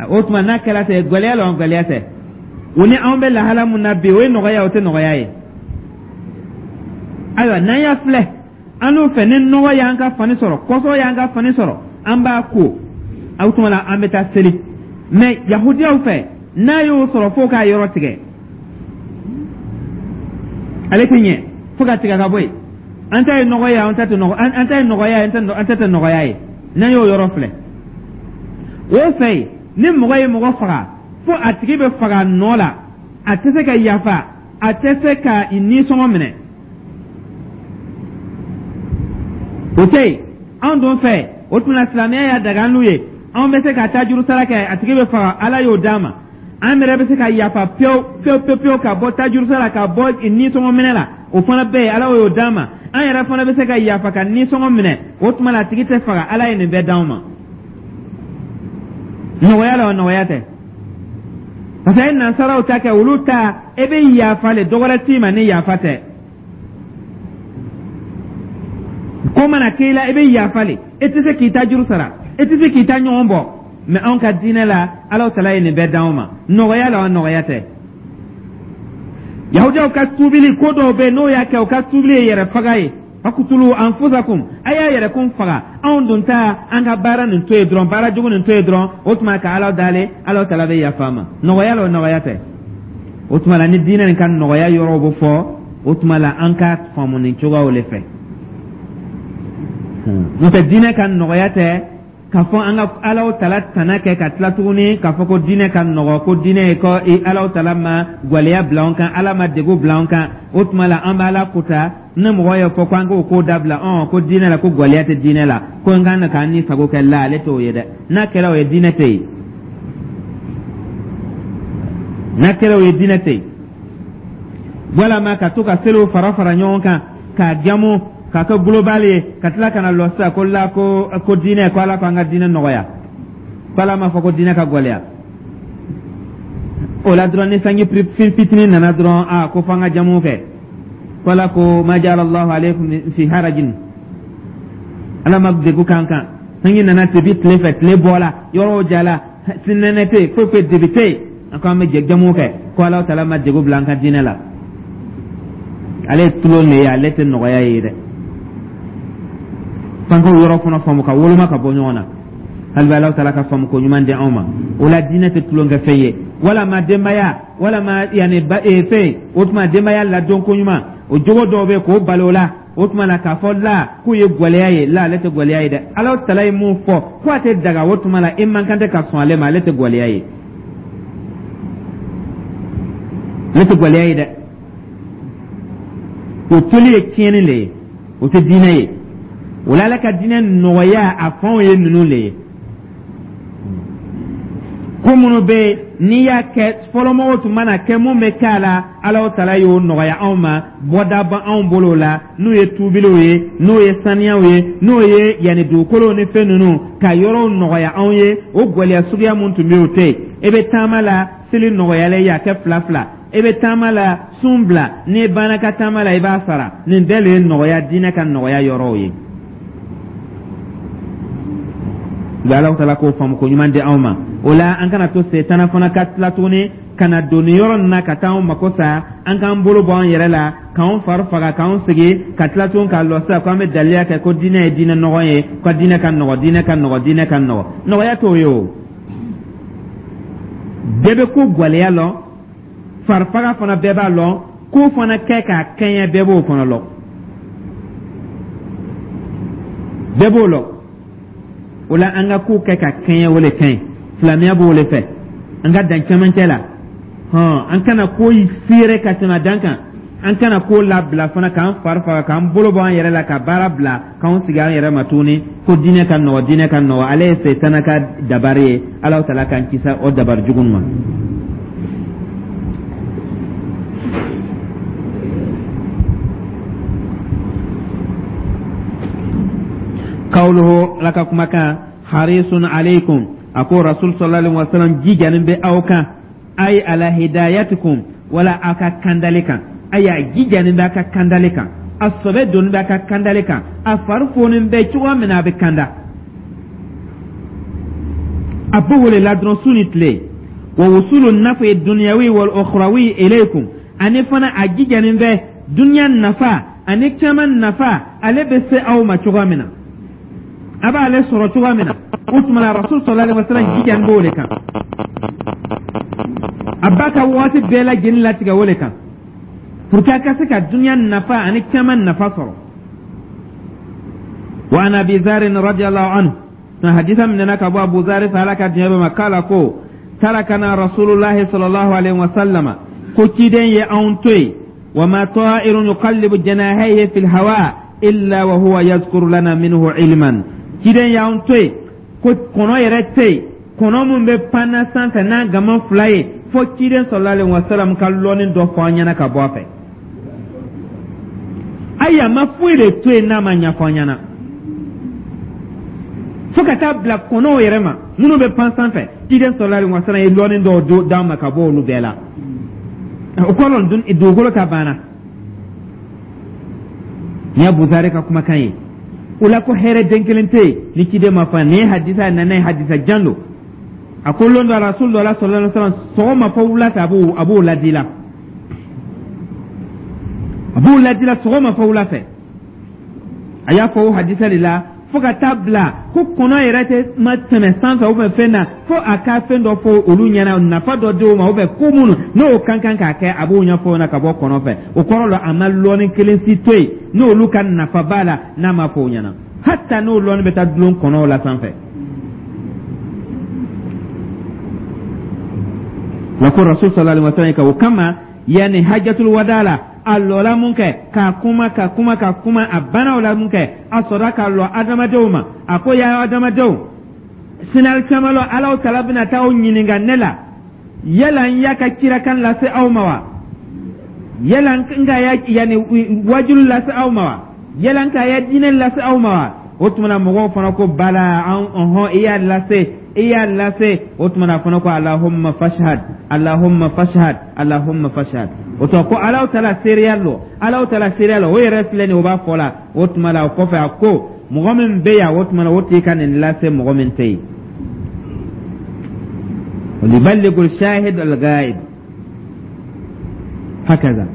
O tuma n'a kɛra ten, gɛlɛya la wa gɛlɛya tɛ? O ni anw bɛ lahala mun na bi, o ye nɔgɔya, o tɛ nɔgɔya ye? Ayiwa, n'an y'a filɛ an n'u fɛ, ni nɔgɔ y'an ka fani sɔrɔ, kɔsɔ y'an ka fani sɔrɔ, an b'a ko, o tuma na an bɛ taa seli. Mɛ Yahudiyaw fɛ, n'a y'o sɔrɔ, fo k'a yɔrɔ tigɛ, ale tɛ ɲɛ fo ka tigɛ ka bɔ yen. An ta ye nɔgɔ ye, an ta tɛ nɔgɔ, an ta ye nɔgɔya ye, an ta tɛ nɔgɔya ye. N'an y'o yɔrɔ filɛ, o fɛ yen, ni mɔgɔ ye mɔgɔ faga, fo a tigi bɛ faga nɔ la, a tɛ se ka yafa, a tɛ se ka nisɔngɔ minɛ, o tɛ yen. Anw dun fɛ, o tuma na silamɛya y'a daga an n'u ye, anw bɛ se ka taa juru sara kɛ, a tigi bɛ faga, Ala y'o d'an ma. An yɛrɛ bɛ se ka yafa pewu pewu pewu pewu ka bɔ tajuru sara, ka bɔ nisɔngɔ minɛ la, o fana bɛ yen, Ala y'o d'an ma. An yɛrɛ fana bɛ se ka yafa ka nisɔngɔ minɛ, o tuma na a tigi tɛ faga. Ala ye nin bɛɛ d'anw ma. Nɔgɔya la wa nɔgɔya tɛ? Parce que a ye nansaraw ta kɛ, olu ta, e bɛ yafa le, dɔ wɛrɛ t'i ma ni yafa tɛ. Ko mana k'i la, i bɛ yafa le, e tɛ se k'i ta juru sara, e tɛ se k'i ta ɲɔgɔn bɔ. Mɛ anw ka diinɛ la, Ala Tala ye nin bɛɛ d'anw ma. Nɔgɔya la wa nɔgɔya tɛ? Yahudiyaw ka tubili, ko dɔw bɛ yen, n'o y'a kɛ, u ka tubili ye yɛrɛ faga ye. Fakutulu anfusakum, a y'a yɛrɛ kun faga. Anw dun ta, an ka baara nin to yen dɔrɔn, baara jugu nin to yen dɔrɔn, o tuma ka Ala dale, Ala Tala bɛ yafa ma. Nɔgɔya la o nɔgɔya tɛ? O tuma la, ni diinɛ nin ka nɔgɔya yɔrɔw bɛ fɔ, o tuma la an ka faamu nin cogoyaw de fɛ. N'o tɛ, diinɛ ka nɔgɔya tɛ k'a fɔ an ka Alaw Tala tana kɛ ka tila tuguni k'a fɔ ko diinɛ ka nɔgɔ, ko diinɛ ye ko Alaw Tala ma gwɛlɛya bila an kan, Ala ma degun bila an kan. O tuma la, an bɛ Ala kuta. Ni mɔgɔ y'a fɔ ko an k'o ko dabila, ɔn ko diinɛ la, ko gwɛlɛya tɛ diinɛ la, ko n kan k'an ni sago kɛ la, ale t'o ye dɛ. N'a kɛra o ye, diinɛ tɛ yen. N'a kɛra o ye, diinɛ tɛ yen. Walama ka to ka seliw fara fara ɲɔgɔn kan k'a jamu k'a kɛ global ye, ka tila ka na lɔ sisan ko la ko ko diinɛ, ko Ala ko an ka diinɛ nɔgɔya, ko Ala m'a fɔ ko diinɛ ka gɛlɛya. O la dɔrɔn, ni sanji fitinin nana dɔrɔn, a ko f'an ka jamu kɛ, ko Ala ko ma ja'ala Allahu alaykum fi harajin, Ala ma degun k'an kan. Sanji nana tebi tile fɛ, tile bɔla, yɔrɔw jala, sinɛnɛ tɛ yen, foyi foyi debi tɛ yen, an ko an bɛ jamu kɛ, ko Ala Taala ma degun bila an ka diinɛ la. Ale ye tulon de ye, ale tɛ nɔgɔya ye dɛ. F'an k'o yɔrɔ fana faamu ka woloma ka bɔ ɲɔgɔn na. Hali bi, Ala Taala ka faamu ko ɲuman di anw ma. O la, diinɛ tɛ tulonkɛ fɛn ye, walama denbaya, walama yanni ba ee fɛn. O tuma denbaya ladon ko ɲuman, o jogo dɔw bɛ yen k'o bali o la. O tuma na k'a fɔ la k'o ye gwɛlɛya ye la, ale tɛ gwɛlɛya ye dɛ. Ala Taala ye mun fɔ ko a tɛ daga, o tuma na e man kan tɛ ka sɔn ale ma. Ale tɛ gwɛlɛya ye, ale tɛ gwɛlɛya ye dɛ. O toli ye tiɲɛni le ye, o tɛ diinɛ ye. O la, Ala ka diinɛ nɔgɔya a fanw ye ninnu le ye. Ko minnu bɛ yen n'i y'a kɛ, fɔlɔmɔgɔw tun mana kɛ, mun bɛ kɛ a la, Ala Taala y'o nɔgɔya anw ma, bɔda b'anw anw bolo la, n'o ye tuubiliw ye, n'o ye saniyaw ye, n'o ye yanni dugukolow ni fɛn ninnu ka yɔrɔw nɔgɔya anw ye. O gɛlɛya suguya mun tun bɛ yen, o tɛ yen. E bɛ taama la, seli nɔgɔyalen ye, a kɛ fila fila. E bɛ taama la, sun bila, n'i banna ka taama la, i b'a sara. Nin bɛɛ de ye nɔgɔya, diinɛ ka nɔgɔya yɔrɔw ye. Bɛ Ala taala k'o faamu ko ɲuman di anw ma. O la, an kana to setana fana ka tila tuguni ka na don nin yɔrɔ nin na ka taa anw mako sa, an k'an bolo bɔ an yɛrɛ la, k'anw fari faga, k'anw sigi ka tila tuguni k'a lɔ sisan k'an bɛ daliya kɛ ko diinɛ ye diinɛ nɔgɔ ye, ko diinɛ ka nɔgɔ, diinɛ ka nɔgɔ, diinɛ ka nɔgɔ. Nɔgɔya t'o ye. O bɛɛ bɛ ko gwɛlɛya lɔn, farifaga fana bɛɛ b'a lɔn, ko fana kɛ k'a kɛɲɛ, bɛɛ b'o fana lɔn, bɛɛ b'o lɔn. O la, an ka ko kɛ ka kɛɲɛ, o le ka ɲi. Silamɛya b'o le fɛ, an ka dan cɛmancɛ la hɔn, an kana ko feere ka tɛmɛ dan kan, an kana ko labila fana k'an fari faga, k'an bolo bɔ an yɛrɛ la, ka baara bila, k'an sigi an yɛrɛ ma tuguni ko diinɛ ka nɔgɔ, diinɛ ka nɔgɔ. Ale ye setana ka dabari ye. Ala taala k'an kisi o dabari jugu ma. Kawluhu, Ala ka kumakan, harisun alaykum, a ko Rasul sallallahu alaihi wasallam jijanin bɛ aw kan, ay ala hidayatikum, wala aw ka kandali kan. Ay a jijanin bɛ a ka kandali kan, a sɔbɛ donni bɛ a ka kandali kan, a fari fonin bɛ cogoya min na a bɛ kanda, a b'o wele la dɔrɔn su ni tile. Wa wusulu nafi dunyawi wal ukhrawi ilaykum, ani fana a jijanin bɛ dunya nafa ani caman nafa, ale bɛ se aw ma cogoya min na, a b'ale sɔrɔ cogoya min na. O tuma na, Rasul sallallahu alaihi wasallam jijanin b'o de kan, a b'a ka waati bɛɛ lajɛlen latigɛ o de kan pour que a ka se ka dunya nafa ani caman nafa sɔrɔ. Wa an Abi Zarin radiyallahu anhu, na hadisa minɛna ka bɔ Abu Zari fɛ, Ala ka diɲɛ bɛ ma, k'ala ko tarakana Rasulullahi sallallahu alaihi wasallam, ko ciden ye anw to yen, wa ma ta'irun yuqallibu janahayhi fil hawa illa wa huwa yazkuru lana minhu ilman. Ciden y'anw to yen ko kɔnɔ yɛrɛ tɛ yen, kɔnɔ min bɛ panna sanfɛ n'a gama fila ye, fo ciden sallallahu alaihi wasallam ka lɔnni dɔ fɔ an ɲɛna ka bɔ a fɛ. Ayi, a ma foyi de to yen n'a ma ɲɛfɔ an ɲɛna, fo ka taa bila kɔnɔw yɛrɛ ma minnu bɛ pan sanfɛ. Ciden sallallahu alaihi wasallam ye lɔnni dɔw d'an ma ka bɔ olu bɛɛ la. O kɔrɔ, dugukolo ta banna. Nin ye Buzari ka kumakan ye. O la, ko hɛrɛ den kelen tɛ yen ni ciden ma fɔ. Nin ye hadisa nana ye, hadisa jan don. A ko lon dɔ, Rasul dɔ la sallallahu alaihi wasallam, sɔgɔma fo wula fɛ, a b'o a b'o ladi la, a b'o ladi la sɔgɔma fo wula fɛ. A y'a fɔ o hadisa de la, fo ka taa bila ko kɔnɔ yɛrɛ tɛ ma tɛmɛ sanfɛ ou bien fɛn na, fo a ka fɛn dɔ fɔ olu ɲɛna, nafa dɔ di o ma, ou bien ko minnu n'o kan kan k'a kɛ, a b'o ɲɛfɔ o ɲɛna ka bɔ kɔnɔ fɛ. O kɔrɔ la, a ma lɔnni kelen si to yen n'olu ka nafa b'a la n'a ma fɔ o ɲɛna, hatta n'o lɔnni bɛ taa dulon kɔnɔw la sanfɛ. La ko Rasul sallallahu alaihi wasallam ka o kama, yanni hajjatul wada la, a lɔla mun kɛ k'a kuma ka kuma ka kuma, a banna o la mun kɛ, a sɔrɔla ka lɔ adamadenw ma. A ko ya adamadenw, sinali caman lɔ, Alaw tala bɛna taa aw ɲininka ne la, yala n y'a ka cirakan lase aw ma wa? Yala n ka ya yanni wajulu lase aw ma wa? Yala n ka ya diinɛ lase aw ma wa? O tuma na, mɔgɔw fana ko bala, an ɔhɔn, i y'a lase, i y'a lase. O tuma na, a fana ko alahumma fashhad, alahumma fashhad, alahumma fashhad. O tuma ko Alaw tala seereya lɔ, Alaw tala seereya lɔ, o yɛrɛ filɛ nin ye, o b'a fɔ la. O tuma la, o kɔfɛ, a ko mɔgɔ min bɛ yan, o tuma na, o tigi ka nin lase mɔgɔ min tɛ yen. Yuballighu shahid al-ghaib hakaza.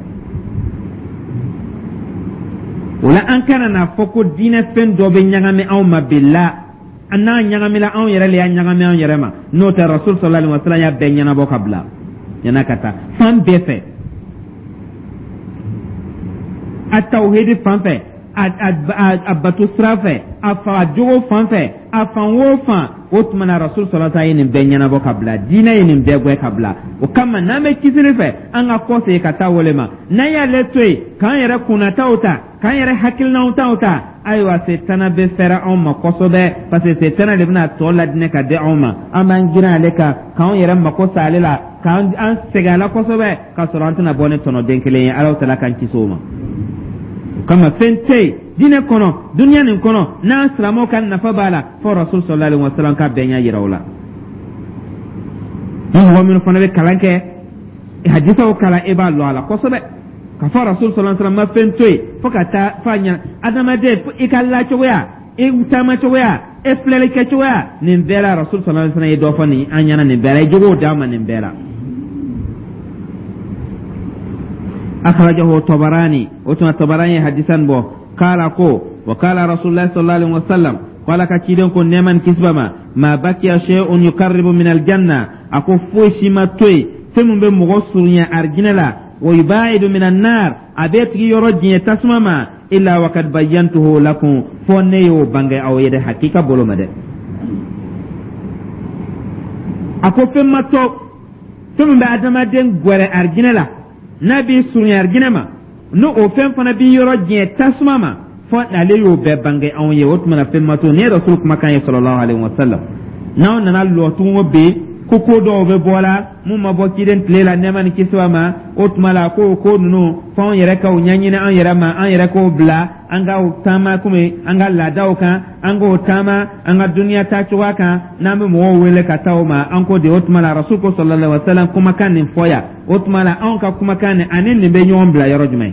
O la, an kana n'a fɔ ko diinɛ fɛn dɔ bɛ ɲagami anw ma bila an n'a ɲagamila, anw yɛrɛ le y'a ɲagami anw yɛrɛ ma. N'o tɛ, Rasul sallallahu alaihi wasallam y'a bɛɛ ɲɛnabɔ ka bila ɲɛna ka taa fan bɛɛ fɛ, a tawhidi fan fɛ, a a a bato sira fɛ, a fa jogo fan fɛ, a fan o fan. O tuma na, Rasul sallallahu alaihi wasallam ye nin bɛɛ ɲɛnabɔ ka bila, diinɛ ye nin bɛɛ gɛn ka bila. O kama, n'an bɛ kisili fɛ, an ka kɔ segin ka taa wele ma. N'an y'ale to yen k'an yɛrɛ kunnataw ta, k'an yɛrɛ hakilinaw taw ta, ayiwa, setana bɛ fɛrɛ anw ma kosɛbɛ, parce que setana de bɛna tɔ ladinɛ ka di anw ma. An b'an girin ale kan, k'anw yɛrɛ mako sa ale la, k'an an sɛgɛn a la kosɛbɛ, k'a sɔrɔ an tɛna bɔ ni tɔnɔden kelen ye. Ala tala k'an kisi o ma. O kama, fɛn tɛ yen diinɛ kɔnɔ, duniya nin kɔnɔ, n'an silamɛw ka nafa b'a la, fo Rasul sallallahu alaihi wasallam ka bɛn ɲɛ yira o la. Ni mɔgɔ minnu fana bɛ kalan kɛ, hadisaw kalan, e b'a lɔn a la kosɛbɛ ka fɔ Rasul sallallahu alaihi wasallam ma fɛn to yen fo ka taa f'a ɲɛna. Adamaden, i ka lacogoya, i taamacogoya, E filɛli kɛcogoya, nin bɛɛ la, Rasul sallallahu alaihi wasallam ye dɔ fɔ nin an ɲɛna nin bɛɛ la, i jogow d'an ma nin bɛɛ la. Akhrajahu Tabarani, o tuma Tabarani ye hadisan bɔ. Kala ko wa kala Rasulullah sallallahu alaihi wasallam, ko Ala ka ciden ko, nɛɛma ni kisi b'a ma, ma bakiya shay'un yuqarribu min aljanna, a ko foyi si ma to yen fɛn min bɛ mɔgɔ surunya arijinɛ la, wa yubaidu min annar, a bɛ tigi yɔrɔ diɲɛ tasuma ma, illa wa kad bayyantuhu lakum, fo ne y'o bange aw ye dɛ, hakika bolo ma dɛ. A ko fɛn ma to fɛn min bɛ adamaden gwɛrɛ arijinɛ la, n'a b'i surunya arijinɛ ma, n'o o fɛn fana b'i yɔrɔ diɲɛ tasuma ma, fo ale y'o bɛɛ bange anw ye. O tuma na fɛn ma to. Nin ye Rasul kumakan ye sallallahu alaihi wa sallam. N'aw nana lɔ tugun bi ko ko dɔw bɛ bɔ la mun ma bɔ ciden tile la, nɛɛma ni kisi b'a ma, o tuma la ko ko ninnu f'anw yɛrɛ k'o ɲɛɲini an yɛrɛ ma, an yɛrɛ k'o bila an ka taama komi an ka laadaw kan, an k'o taama an ka duniya taa cogoya kan, n'an bɛ mɔgɔw wele ka taa o ma, an ko de. O tuma la Rasul ko sallallahu alaihi wa sallam kumakan nin fɔ yan, o tuma la anw ka kumakan nin ani nin bɛ ɲɔgɔn bila yɔrɔ jumɛn?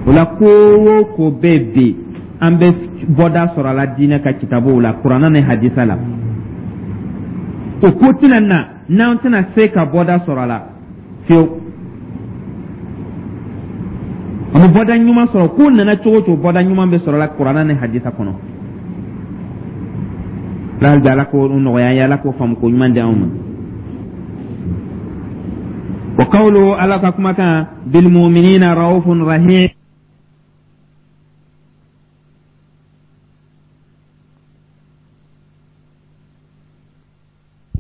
O la ko o ko bɛ bi, an bɛ bɔda sɔrɔ a la diinɛ ka kitabuw la, kuranna ni hadisa la. O ko tɛna na n'an tɛna se ka bɔda sɔrɔ a la fiyewu. An bɛ bɔda ɲuman sɔrɔ. Ko nana cogo o cogo, bɔda ɲuman bɛ sɔrɔ a la kuranna ni hadisa kɔnɔ. Hali bi Ala k'o nɔgɔya an ye, Ala k'o faamu ko ɲuman di anw ma. Wa qawluhu, Ala ka kumakan, bilmuminina raufun rahim.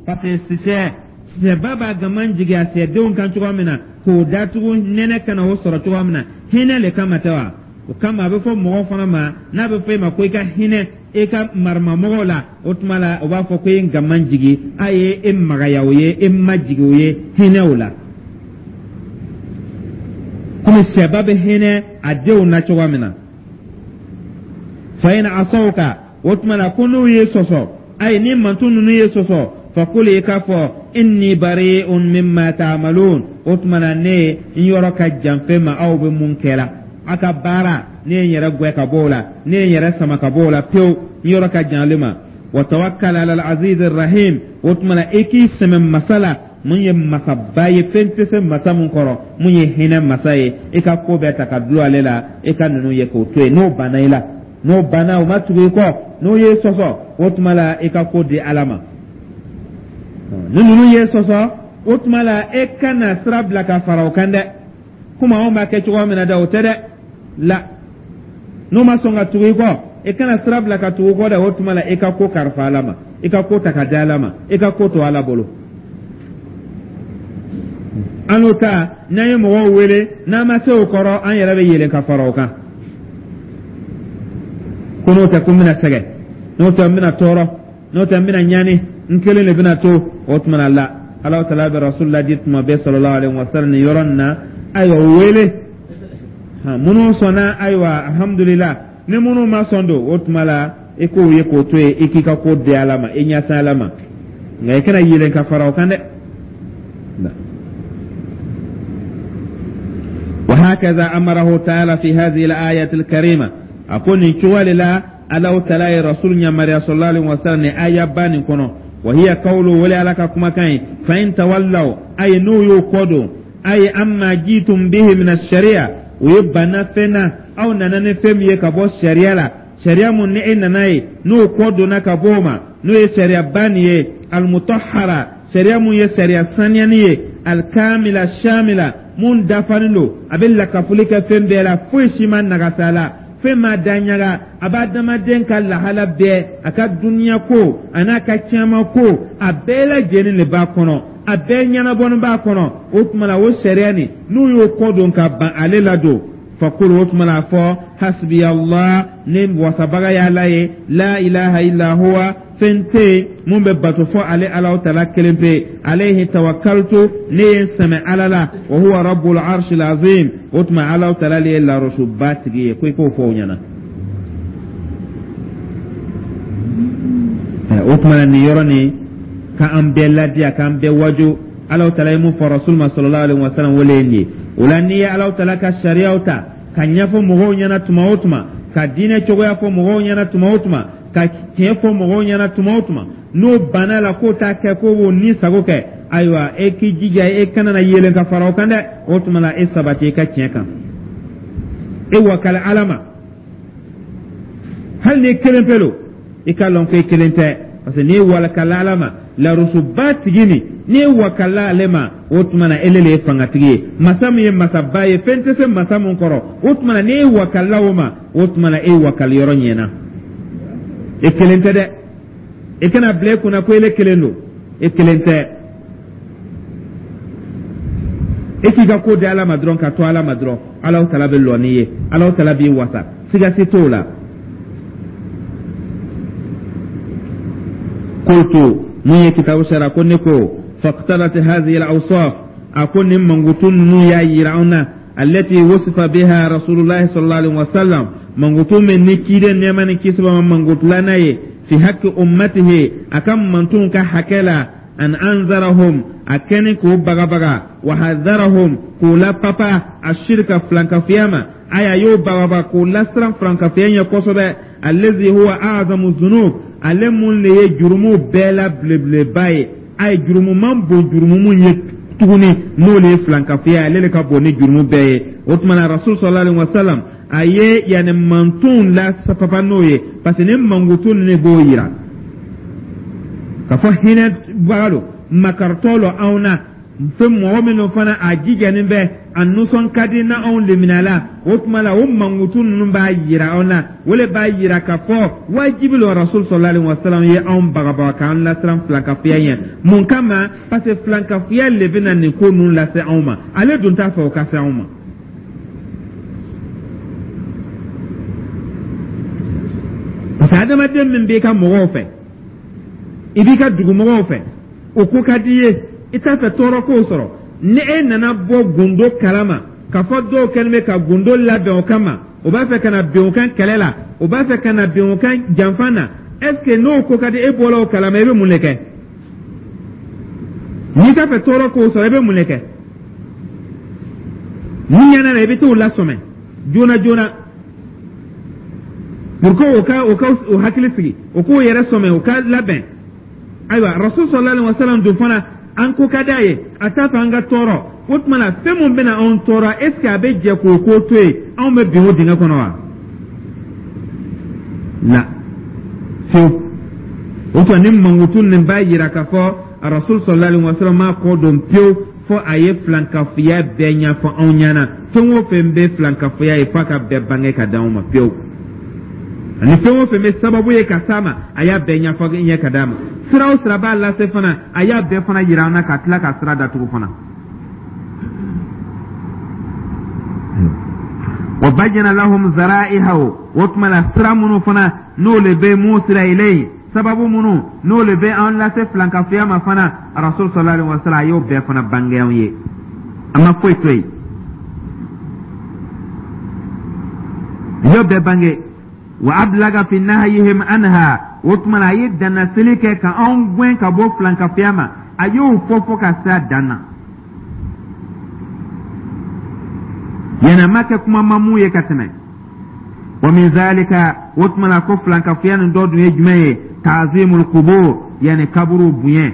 Parce que sisɛ sisɛba b'a gaman jigin a sɛdenw kan cogoya min na k'o datugu nɛnɛ kana o sɔrɔ cogoya min na, hinɛ le kama tɛ wa? O kama a bɛ fɔ mɔgɔ fana ma, n'a bɛ fɔ e ma ko i ka hinɛ e ka maramamɔgɔw la, o tuma la o b'a fɔ ko e ye gaman jigin, a ye e magaya o ye, e majigin o ye hinɛ o la, komi sɛba bɛ hinɛ a denw na cogoya min na. Fa in asawka, o tuma la ko n'u ye sɔsɔ, ayi, ni manton ninnu ye sɔsɔ, fakul, i k'a fɔ, inni bari'un mimma ta'malun, o tuma na ne n yɔrɔ ka jan fɛn ma aw bɛ mun kɛ la, a ka baara, ne ye n yɛrɛ gwɛ ka bɔ o la, ne ye n yɛrɛ sama ka bɔ o la pewu, n yɔrɔ ka jan ale ma. Wa tawakkal ala al-aziz rahim, o tuma na i k'i sɛmɛ masa la mun ye masaba ye, fɛn tɛ se masa mun kɔrɔ, mun ye hinɛ masa ye. I ka ko bɛɛ ta ka dulon ale la, i ka ninnu ye k'o to yen. N'o banna i la, n'o banna, o ma tugu i kɔ, n'o ye sɔsɔ, o tuma la i ka ko di Ala ma. Ni ninnu ye sɔsɔ, o tuma la e kana sira bila ka fara o kan dɛ, komi anw b'a kɛ cogoya min na dɛ, o tɛ dɛ la. N'o ma sɔn ka tugu i kɔ, e kana sira bila ka tugu kɔ dɛ. O tuma la i ka ko kalifa Ala ma, i ka ko ta ka di Ala ma, i ka ko to Ala bolo. An n'o ta, n'an ye mɔgɔw wele, n'an ma se o kɔrɔ, an yɛrɛ bɛ yɛlɛn ka fara o kan, ko n'o tɛ ko n bɛna sɛgɛn, n'o tɛ n bɛna tɔɔrɔ, n'o tɛ n bɛna ɲani, n kelen de bɛna to. O tuma na la Ala taala bɛ Rasul ladi tuma bɛɛ sallallahu alaihi wa sallam nin yɔrɔ nin na. Ayiwa, wele minnu sɔnna, ayiwa, alhamdulillah. Ni minnu ma sɔn don, o tuma la i k'o ye k'o to yen, i k'i ka ko di Ala ma, i ɲɛsin Ala ma, nka i kana yɛlɛn ka fara o kan dɛ. وهكذا أمره تعالى في هذه الآية الكريمة. أقول إن لا الله تعالى رسول يمر صلى الله عليه وسلم آية بان كنو، وهي قوله ولا لك كما كان فإن تولوا، أي نو يقودوا، أي أما جيتم به من الشريعة، ويبنى فينا أو نانا فهم يكبو الشريعة لا شريعة من نئن نو قودنا كبوما نو شريعة بانية المطهرة، شريعة من يشريعة ثانية الكاملة الشاملة mun dafalen don, a bɛ lakafoli kɛ fɛn bɛɛ la, foyi si ma nagasa la, fɛn ma da ɲaga, a b'a adamaden ka lahala bɛɛ, a ka duniya ko a n'a ka caman ko, a bɛɛ lajɛlen de b'a kɔnɔ, a bɛɛ ɲɛnabɔni b'a kɔnɔ. O tuma na o sariya nin, n'u y'o kɔ don ka ban ale la don, fakulu, o tuma na a fɔ hasbi Allah, ne wasabaga y'Ala ye, la ilaha illa huwa, fɛn tɛ yen mun bɛ bato fɔ ale Alahu taala kelen pe, alayhi tawakkaltu, ne ye n sɛmɛ Ala la, wa huwa rabbul arshil azim, o tuma Alahu taala le ye larasuba tigi ye. Ko i k'o fɔ o ɲɛna. O tuma na nin yɔrɔ nin k'an bɛɛ ladiya, k'an bɛɛ waju, Alahu taala ye mun fɔ Rasul ma sallallahu alaihi wa sallam, o le ye nin ye. O la n'i ye Alahu taala ka sariyaw ta ka ɲɛfɔ mɔgɔw ɲɛna tuma o tuma, Ka diinɛ cogoya fɔ mɔgɔw ɲɛna tuma o tuma, ka tiɲɛ fɔ mɔgɔw ɲɛna tuma o tuma, n'o banna la k'o t'a kɛ, k'o b'o ni sago kɛ, ayiwa, e k'i jija, e kana na yelen ka fara o kan dɛ. O tuma la, e sabati i ka tiɲɛ kan, e wakali Ala ma. Hali n'i kelen pe lo, i k'a lɔn ko i kelen tɛ, parce que n'i wakala Ala ma, larusuba tigi nin, n'i wakala ale ma, o tuma na ele le ye fangatigi ye, masa min ye masaba ye, fɛn tɛ se masa min kɔrɔ. O tuma na, n'e wakala o ma, o tuma na e wakali yɔrɔ ɲɛna. E kelen tɛ dɛ, e kana bila e kunna ko ele kelen don. E kelen tɛ. E k'i ka ko di Ala ma dɔrɔn, ka to Ala ma dɔrɔn, Alahu Taala bɛ lɔ n'i ye, Alahu Taala b'i wasa, siga si t'o la. Qultu, mun ye kitabu sara ko ne ko faqtadat hadhihi al-awsaf, a ko nin mankutu ninnu y'a yira anw na, allati wasifa biha Rasulullah sallallahu alaihi wasallam, mankutu min ni ciden nɛɛma ni kisi b'a ma mankutula n'a ye, fi haqqi ummatihi, a ka mantunw ka hakɛ la, an anzarahum, a kɛni k'o bagabaga, wa hadharahum, k'o lapapa, ashirka, filankafiya ma. Aya y'o bagabaga k'o lasiran filankafiya ɲɛ kosɛbɛ, allazi huwa a'zamu zunub, ale mun de ye jurumu bɛɛ la belebeleba ye. A ye jurumu man bon jurumu mun ye tuguni, n'o de ye filankafiya, ale de ka bon ni jurumu bɛɛ ye. O tuma na, Rasul sallallahu alaihi wasallam a ye yanni mantonw la papa n'o ye, parce que ni mankutu ninnu de b'o yira k'a fɔ hinɛ baga don, makaritɔ lo anw na, fɛn mɔgɔ minnu fana a jijalen bɛ, a nisɔn ka di na anw lemina la. O tuma la, o mankutu ninnu b'a yira anw na, o le b'a yira k'a fɔ wajibi lo Rasul sallallahu alaihi wasallam ye anw bagabaga k'an lasiran filankafoya ɲɛ. Mun kama? Parce que filankafoya le bɛna nin ko ninnu lase anw ma, ale dun t'a fɛ o ka se anw ma. Parce que adamaden min b'i ka mɔgɔw fɛ, i b'i ka dugumɔgɔw fɛ, o ko ka di i ye, i t'a fɛ tɔɔrɔ k'o sɔrɔ. Ni e nana bɔ gundo kalama k'a fɔ dɔw kɛlen bɛ ka gundo labɛn o kama, o b'a fɛ ka na bin o kan kɛlɛ la, o b'a fɛ ka na bin o kan janfa na, est ce que n'o ko ka di e bɔla o kalama, i bɛ mun de kɛ? N'i t'a fɛ tɔɔrɔ k'o sɔrɔ, i bɛ mun de kɛ? Ni ɲɛna la, i bɛ t'o lasɔmɛ joona joona pour que o ka o ka o hakili sigi, o k'o yɛrɛ sɔmɛ, o ka labɛn. Ayiwa, Rasul sallallahu alaihi wasallam dun fana, an ko ka d'a ye, a t'a fɛ an ka tɔɔrɔ. O tuma na, fɛn mun bɛna anw tɔɔrɔ, est ce que a bɛ jɛ k'o ko to yen, anw bɛ bin o dingɛ kɔnɔ wa? La, fiyewu. O tuma, ni mankutu nin b'a yira k'a fɔ Rasul sallallahu alaihi wasallam m'a kɔ don pewu fo a ye filankafoya bɛɛ ɲɛfɔ anw ɲɛna. Fɛn o fɛn bɛ filankafoya ye, f'a ka bɛɛ bange ka d'anw ma pewu, ani fɛn o fɛn bɛ sababu ye ka s'a ma, a y'a bɛɛ ɲɛfɔ ɲɛ ka d'a ma. Sira o sira b'a lase fana, a y'a bɛɛ fana yira an na, ka tila ka sira datugu fana. Wa bayyana lahum zara'ihahu, o tuma la, sira minnu fana n'o le bɛ musila ilayhi, sababu minnu n'o le bɛ an lase filankafoya ma fana, Rasul sallallahu alaihi wasallam a y'o bɛɛ fana bange anw ye, a ma foyi to yen, a y'o bɛɛ bange. Wa ablaga fi nahyihim anha, o tuma na, a ye dannaseli kɛ ka anw gɛn ka bɔ filankafoya ma, a y'o fɔ fo ka se a dan na. Yɛlɛma kɛ kuma ma mun ye ka tɛmɛ. Wa min zalika, o tuma na, ko filankafoya nin dɔ dun ye jumɛn ye? Ta'zimul qubur, yani kaburu bonya.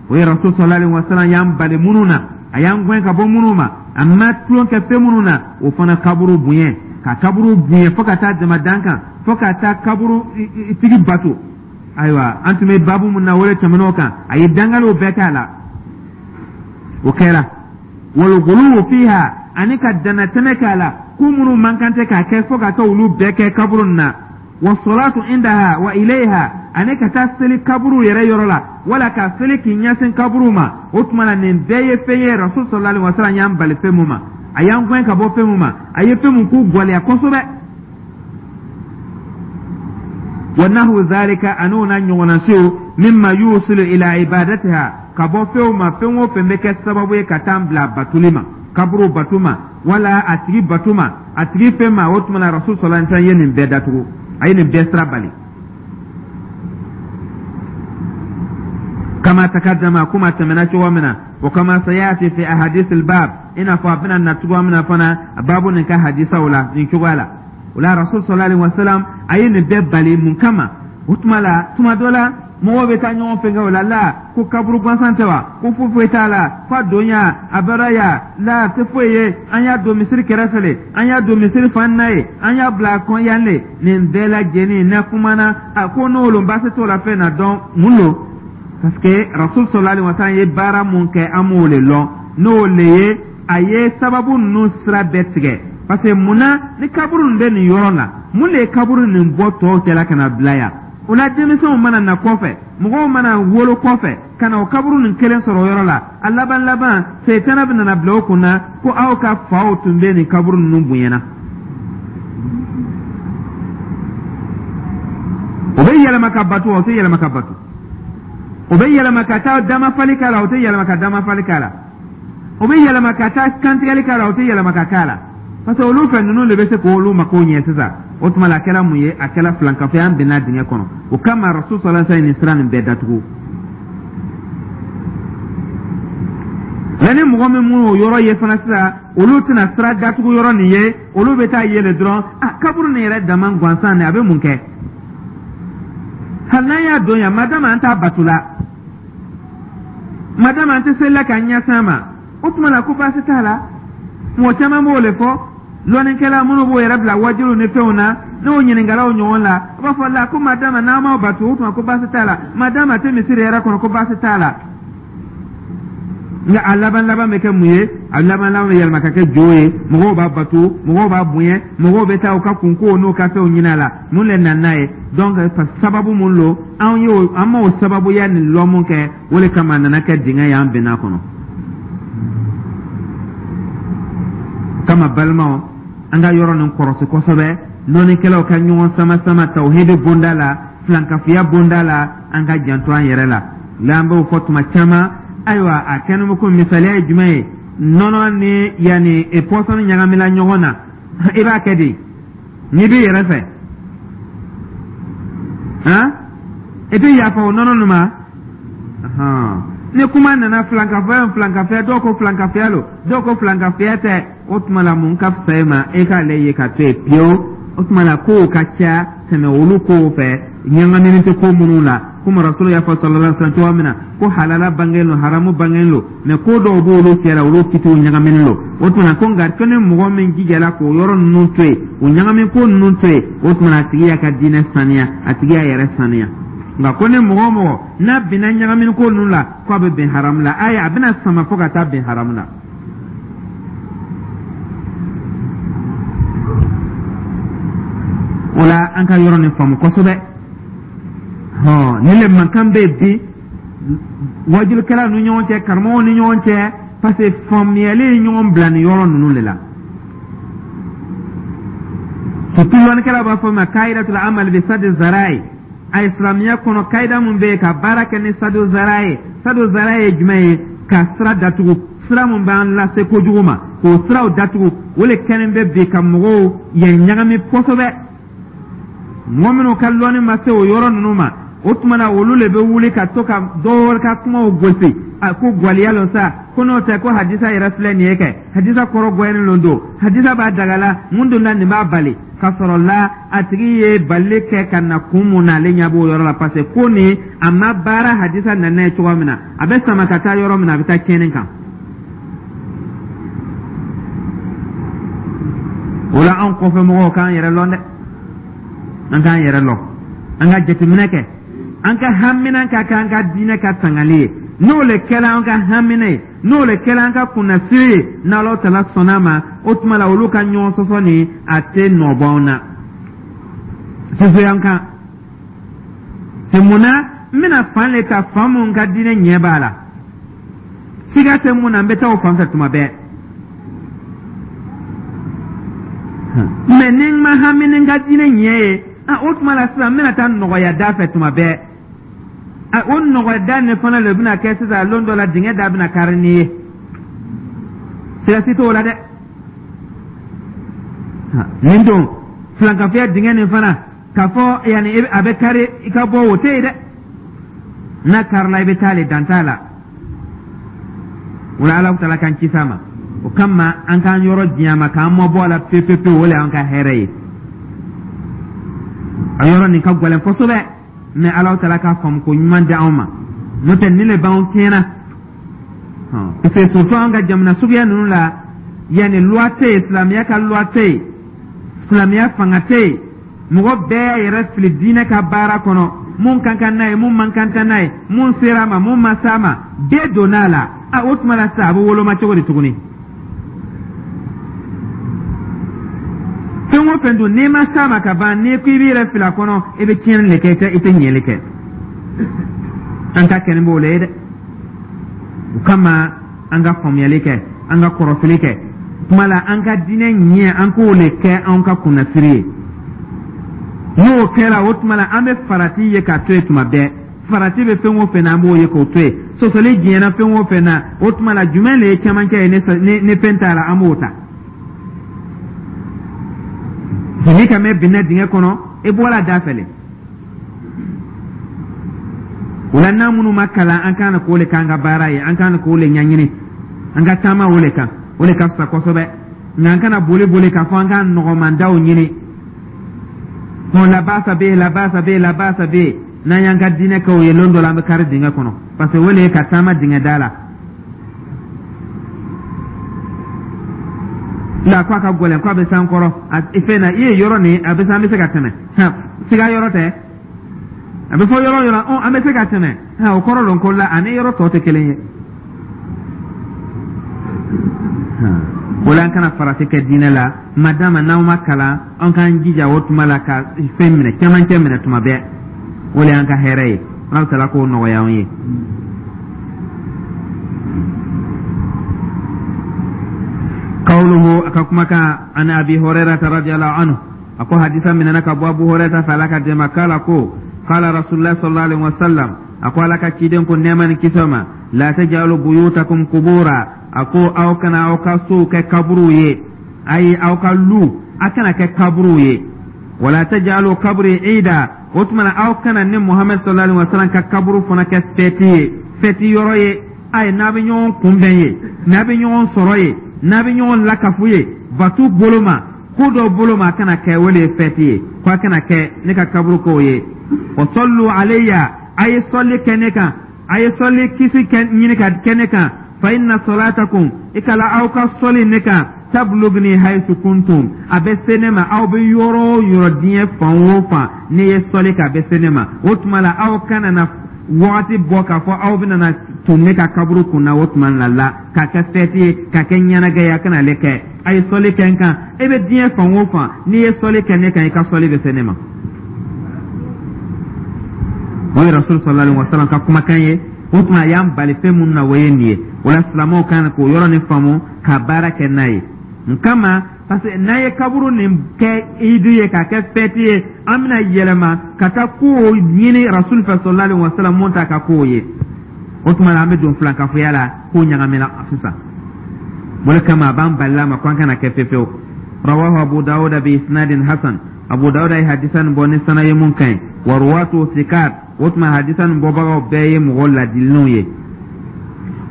O ye Rasul sallallahu alaihi wasallam y'an bali minnu na, a y'an gɛn ka bɔ minnu ma, a ma tulon kɛ fɛn minnu na, o fana kaburu bonya, ka kaburu bonya fo ka taa dama dan kan, fo ka taa kaburu tigi bato. Ayiwa, an tun bɛ baabu mun na, o de tɛmɛn'o kan, a ye dangaliw bɛɛ k'a la, o kɛra. Wal fiha, ani ka dannatɛmɛ k'a la, ko minnu man kan tɛ k'a kɛ, fo ka taa olu bɛɛ kɛ kaburu na. Wa salatu indaha wa ilayha, ani ka taa seli kaburu yɛrɛ yɔrɔ la, wala ka seli k'i ɲɛsin kaburu ma. O tuma na, nin bɛɛ ye fɛn ye Rasul sallallahu alaihi wasallam y'an bali fɛn mun ma, a y'an gɛn ka bɔ fɛn mun ma, a ye fɛn mun k'u gwɛlɛya kosɛbɛ. Wa nahwu zalika, an'o n'a ɲɔgɔnna siw, mimma yusilu ila ibadatiha, ka bɔ fɛnw ma, fɛn o fɛn bɛ kɛ sababu ye ka taa bila batuli ma, kaburu batu ma, wala a tigi batu ma, a tigi fɛn ma. O tuma na, Rasul sallallahu alaihi wasallam ye nin bɛɛ datugu, a ye nin bɛɛ sira bali. Kama takaddama, kuma tɛmɛna cogo min na, wa kama sayati fi ahadith al-bab, i n'a fɔ a bɛna na cogoya min na fana baabu nin ka hadisaw la nin cogoya la. O la, Rasul sallallahu alaihi wasallam a ye nin bɛɛ bali. Mun kama? O tuma la, tuma dɔ la, mɔgɔw bɛ taa ɲɔgɔn fɛnkɛ o la la ko kaburu gansan tɛ wa, ko foyi foyi t'a la, ko a don ya a bɔra ya la, a tɛ foyi ye. An y'a don misiri kɛrɛfɛ le, an y'a don misiri fan na ye, an y'a bila a kɔn yan le. Nin bɛɛ lajɛlen n'a kumana a ko n'o lo, baasi t'o la fɛn na dɔn mun lo, parce que Rasul sallallahu alaihi wasallam ye baara mun kɛ, an m'o le lɔn. N'o le ye, a ye sababu ninnu sira bɛɛ tigɛ. Parce que munna ni kaburu nin bɛ nin yɔrɔ la, mun de ye kaburu nin bɔ tɔw cɛla ka na bila yan? O la, denmisɛnw mana na kɔfɛ, mɔgɔw mana wolo kɔfɛ ka na o kaburu nin kelen sɔrɔ o yɔrɔ la, a laban laban, seyitana bɛ nana bila o kun na ko aw ka faw tun bɛ nin kaburu ninnu bonyana. O bɛ yɛlɛma ka batu, o tɛ yɛlɛma ka batu. O bɛ yɛlɛma ka taa damafali k'a la, o tɛ yɛlɛma ka damafali k'a la. O bɛ yɛlɛma ka taa kantigɛli k'a la, o tɛ yɛlɛma ka k'a la, parce que olu fɛ ninnu de bɛ se k'olu mako ɲɛ sisan. O tuma la, a kɛra mun ye? A kɛra filankafoya, an bɛnna dingɛ kɔnɔ. O kama, Rasul sallallahu alaihi wasallam nin sira nin bɛɛ datugu. Nka ni mɔgɔ min mun o yɔrɔ ye fana sisan, olu tɛna sira datugu yɔrɔ nin ye, olu bɛ taa yɛlɛ dɔrɔn. A kaburu nin yɛrɛ dama gansan nin, a bɛ mun kɛ? Hali n'an y'a don yan, madama an t'a bato la, madama an tɛ seli la k'an ɲɛsin a ma, o tuma la ko baasi t'a la. Mɔgɔ caman b'o de fɔ. Lɔnnikɛla minnu b'o yɛrɛ bila wajibiw ni fɛnw na, n'o ɲininkala o ɲɔgɔn la, o b'a fɔ la ko madama n'an m'aw bato, o tuma ko baasi t'a la, madama tɛ misiri yɛrɛ kɔnɔ, ko baasi t'a la. Nka a laban laban bɛ kɛ mun ye? A laban laban bɛ yɛlɛma ka kɛ jo ye. Mɔgɔw b'a bato, mɔgɔw b'a bonya, mɔgɔw bɛ taa u ka kunkow n'u ka fɛnw ɲini a la. Mun de nana n'a ye? Donc sababu mun lo, anw y'o, an m'o sababuya nin lɔ mun kɛ, o de kama a nana kɛ dingɛ ye an bɛnna kɔnɔ. Kama, balimaw, an ka yɔrɔ nin kɔrɔsi kosɛbɛ. Lɔnnikɛlaw ka ɲɔgɔn sama sama tawhidi bonda la, filankafiya bonda la, an ka janto an yɛrɛ la la. An b'o fɔ tuma caman. Ayiwa, a kɛnɛ bɛ ko misaliya ye jumɛn ye? Nɔnɔ ni yanni pɔsɔni ɲagamina ɲɔgɔn na, i b'a kɛ di n'i b'i yɛrɛ fɛ? Han, i tɛ yafa o nɔnɔ nin ma. Ni kuma nana filankafoya, filankafoya, dɔw ko filankafoya lo, dɔw ko filankafoya tɛ. O tuma la, mun ka fisa e ma? E k'ale ye ka to yen pewu. O tuma la, kow ka ca tɛmɛ olu kow fɛ, ɲagamini tɛ ko minnu la. Komi Rasulu y'a fɔ sallallahu alaihi wasallam cogoya min na ko halala bangelen lo, haramu bangelen lo, mɛ ko dɔw b'olu cɛ la, olu kitiw ɲagaminen lo. O tuma ko nka ko ni mɔgɔ min jijala k'o yɔrɔ ninnu to yen, o ɲagami ko ninnu to yen, o tuma a tigi y'a ka diinɛ saniya, a tigi y'a yɛrɛ saniya. Nka ko ni mɔgɔ o mɔgɔ n'a binna ɲagamini ko ninnu la, ko a bɛ bɛn haramu la, ayi, a bɛna sama fo ka taa bɛn haramu la. O la, an ka yɔrɔ nin faamu kosɛbɛ. Hɔn, nin le mankan bɛ bi wajulikɛlaw ni ɲɔgɔn cɛ, karamɔgɔw ni ɲɔgɔn cɛ, parce que faamuyali ye ɲɔgɔn bila nin yɔrɔ ninnu de la. Surtout lɔnnikɛlaw b'a fɔ ma kayidatul amal bi sadi zarai. A silamɛya kɔnɔ, kayida mun bɛ yen ka baara kɛ ni sadu zara ye? Sadu zara ye jumɛn ye? Ka sira datugu, sira mun b'an lase kojugu ma, k'o siraw datugu. O le kɛlen bɛ bi ka mɔgɔw yɛn ɲagami kosɛbɛ. Mɔgɔ minnu ka lɔnni ma se o yɔrɔ ninnu ma, o tuma na olu le bɛ wuli ka to ka dɔw ka kumaw gosi, a ko gwaliya lo sa, ko n'o tɛ ko hadisa yɛrɛ filɛ nin ye kɛ, hadisa kɔrɔ gɔyɛni lo don, hadisa b'a dagala, mun donna nin b'a bali. Ka sɔrɔ la, a tigi ye balili kɛ ka na kun mun na, ale ɲɛ b'o yɔrɔ la, parce que ko nin a ma baara hadisa nana ye cogoya min na, a bɛ sama ka taa yɔrɔ min na, a bɛ taa tiɲɛni kan. O la, anw kɔfɛ mɔgɔw k'an yɛrɛ lɔn dɛ, an k'an yɛrɛ lɔn, an ka jateminɛ kɛ, an ka hamina ka kɛ an ka diinɛ ka tangali ye. N'o le kɛra an ka hamina ye, n'o le kɛra an ka kunnasiri ye, n'Ala tala sɔnna a ma, o tuma la olu ka ɲɔgɔn sɔsɔ nin, a tɛ nɔ bɔ anw na sosoyan kan. C'est mun na n bɛna fan le ta, fan mun ka diinɛ ɲɛ b'a la, siga tɛ mun na, n bɛ taa o fan fɛ tuma bɛɛ. Mɛ ni n ma hami ni n ka diinɛ ɲɛ ye, a o tuma la sisan n bɛna taa nɔgɔya da fɛ tuma bɛɛ. A o nɔgɔya da nin fana de bɛna kɛ sisan lon dɔ la, dingɛ da bɛna kari n'i ye, siga si t'o la dɛ. Nin don filankafoya dingɛ nin fana, k'a fɔ yanni a bɛ kari i ka bɔ, o tɛ yen dɛ. N'a karila, i bɛ taa le, dan t'a la. O la, Ala tala k'an ci s'a ma. O kama, an k'an yɔrɔ diɲɛ ma, k'an mabɔ a la pewu pewu, o le y'an ka hɛrɛ ye. A yɔrɔ nin ka gɛlɛn kosɛbɛ, mɛ Alahu Taala k'a faamu ko ɲuman di anw ma, n'o tɛ nin le b'anw tiɲɛna, parce que surtout an ka jamana suguya ninnu la, yanni loi tɛ yen, silamɛya ka loi tɛ yen, silamɛya fanga tɛ yen, mɔgɔ bɛɛ y'a yɛrɛ fili diinɛ ka baara kɔnɔ. Mun kan ka n'a ye, mun man kan ka n'a ye, mun sera a ma, mun ma s'a ma, bɛɛ donna a la. A o tuma la sisan, a bɛ woloma cogo di tuguni? Fɛn o fɛn dun, n'i ma s'a ma ka ban, n'i ko i b'i yɛrɛ fili a kɔnɔ, i bɛ tiɲɛni de kɛ, i tɛ i tɛ ɲɛli kɛ. An ka kɛnɛ b'o la ye dɛ. O kama an ka faamuyali kɛ, an ka kɔrɔsili kɛ kuma la, an ka diinɛ ɲɛ, an k'o le kɛ anw ka kunnasiri ye. N'o kɛra, o tuma la an bɛ farati ye k'a to yen tuma bɛɛ. Farati bɛ fɛn o fɛn na, an b'o ye k'o to yen. Sɔsɔli diɲɛna fɛn o fɛn na, o tuma la jumɛn le ye cɛmancɛ ye? ni ni fɛn t'a la, an b'o ta. N'i ka mɛn binna dingɛ kɔnɔ, i bɔra da fɛ le. O la, n'an minnu ma kalan, an kan k'o le k'an ka baara ye, an kan k'o le ɲɛɲini, an ka taama o le kan, o le ka fisa kosɛbɛ. Nka an kana boli boli k'a fɔ an ka nɔgɔmandaw ɲini. Bon, la baasa bɛ yen, la baasa bɛ yen, la baasa bɛ yen. N'an y'an ka diinɛ kɛ o ye, lon dɔ la an bɛ kari dingɛ kɔnɔ, parce que o le ye ka taama dingɛ da la. La ko a ka gɛlɛn, ko a bɛ s'an kɔrɔ a fɛn na, i ye yɔrɔ nin, a bɛ se, an bɛ se ka tɛmɛ, siga yɔrɔ tɛ. A bɛ fɔ yɔrɔ yɔrɔ, ɔ an bɛ se ka tɛmɛ, o kɔrɔ dɔn ko la ani yɔrɔ tɔ tɛ kelen ye. O la, an kana farati kɛ diinɛ la. Madama n'aw ma kalan, an k'an jija o tuma la ka fɛn minɛ, cɛmancɛ minɛ tuma bɛɛ, o de y'an ka hɛrɛ ye. Ala taala k'o nɔgɔya an ye. Qawluhu, a ka kumakan, an Abi Hurairata radiyallahu anhu, a ko hadisa minɛna ka bɔ Abu Hurairata fɛ, Ala ka dɛmɛ k'ala ko qala Rasulullah sallallahu alaihi wasallam, a ko Ala ka ciden ko nɛɛma ni kisɛ ma, la tajalu buyutakum qubura, a ko aw kana aw ka sow kɛ kaburuw ye, ayi, aw ka lu a kana kɛ kaburuw ye. Wala tajalu kabri ida, o tuma na aw kana ne Muhammed sallallahu alaihi wasallam ka kaburu fana kɛ fɛti ye, fɛti yɔrɔ ye. Ayi, n'a bɛ ɲɔgɔn kunbɛn ye, n'a bɛ ɲɔgɔn sɔrɔ ye, n'a bɛ ɲɔgɔn lakafu ye batu bolo ma, ko dɔ bolo ma, a kana kɛ o de ye fɛti ye, ko a kana kɛ ne ka kaburu k'o ye. Wa sallu alayya, a ye sɔli kɛ ne kan, a ye sɔli kisi kɛ ɲini ka kɛ ne kan. Fa inna salatakum, i kala aw ka sɔli ne kan, tablugni haythu kuntum, a bɛ se ne ma aw bɛ yɔrɔ o yɔrɔ, diɲɛ fan o fan, ne ye sɔli kɛ, a bɛ se ne ma. O tuma la aw kana na wagati bɔ k'a fɔ aw bɛna na tun ne ka kaburu kun na, o tuma na la k'a kɛ fɛti ye, k'a kɛ ɲɛnajɛ ye, a kana ale kɛ. A ye sɔli kɛ n kan, e bɛ diɲɛ fan o fan, n'i ye sɔli kɛ ne kan, i ka sɔli bɛ se ne ma. O ye Rasul sallallahu alaihi wasallam ka kumakan ye. O tuma a y'an bali fɛn minnu na, o ye nin ye. O la, silamɛw kan k'o yɔrɔ nin faamu ka baara kɛ n'a ye. N kama, parce que n'an ye kaburu nin kɛ idu ye, k'a kɛ fɛti ye, an bɛna yɛlɛma ka taa kow ɲini Rasul fɛ sallallahu alaihi wasallam mun t'a ka kow ye. O tuma na an bɛ don filankafoya la, kow ɲagamina sisan. O de kama a b'an balila ma ko an kana kɛ fefewu. Rawahu Abu Dawuda bi isnadin hasan, Abu Dawuda ye hadisa nin bɔ ni sana ye mun ka ɲi. Wa ruwatu sikat, o tuma hadisa nin bɔbagaw bɛɛ ye mɔgɔ ladilenw ye.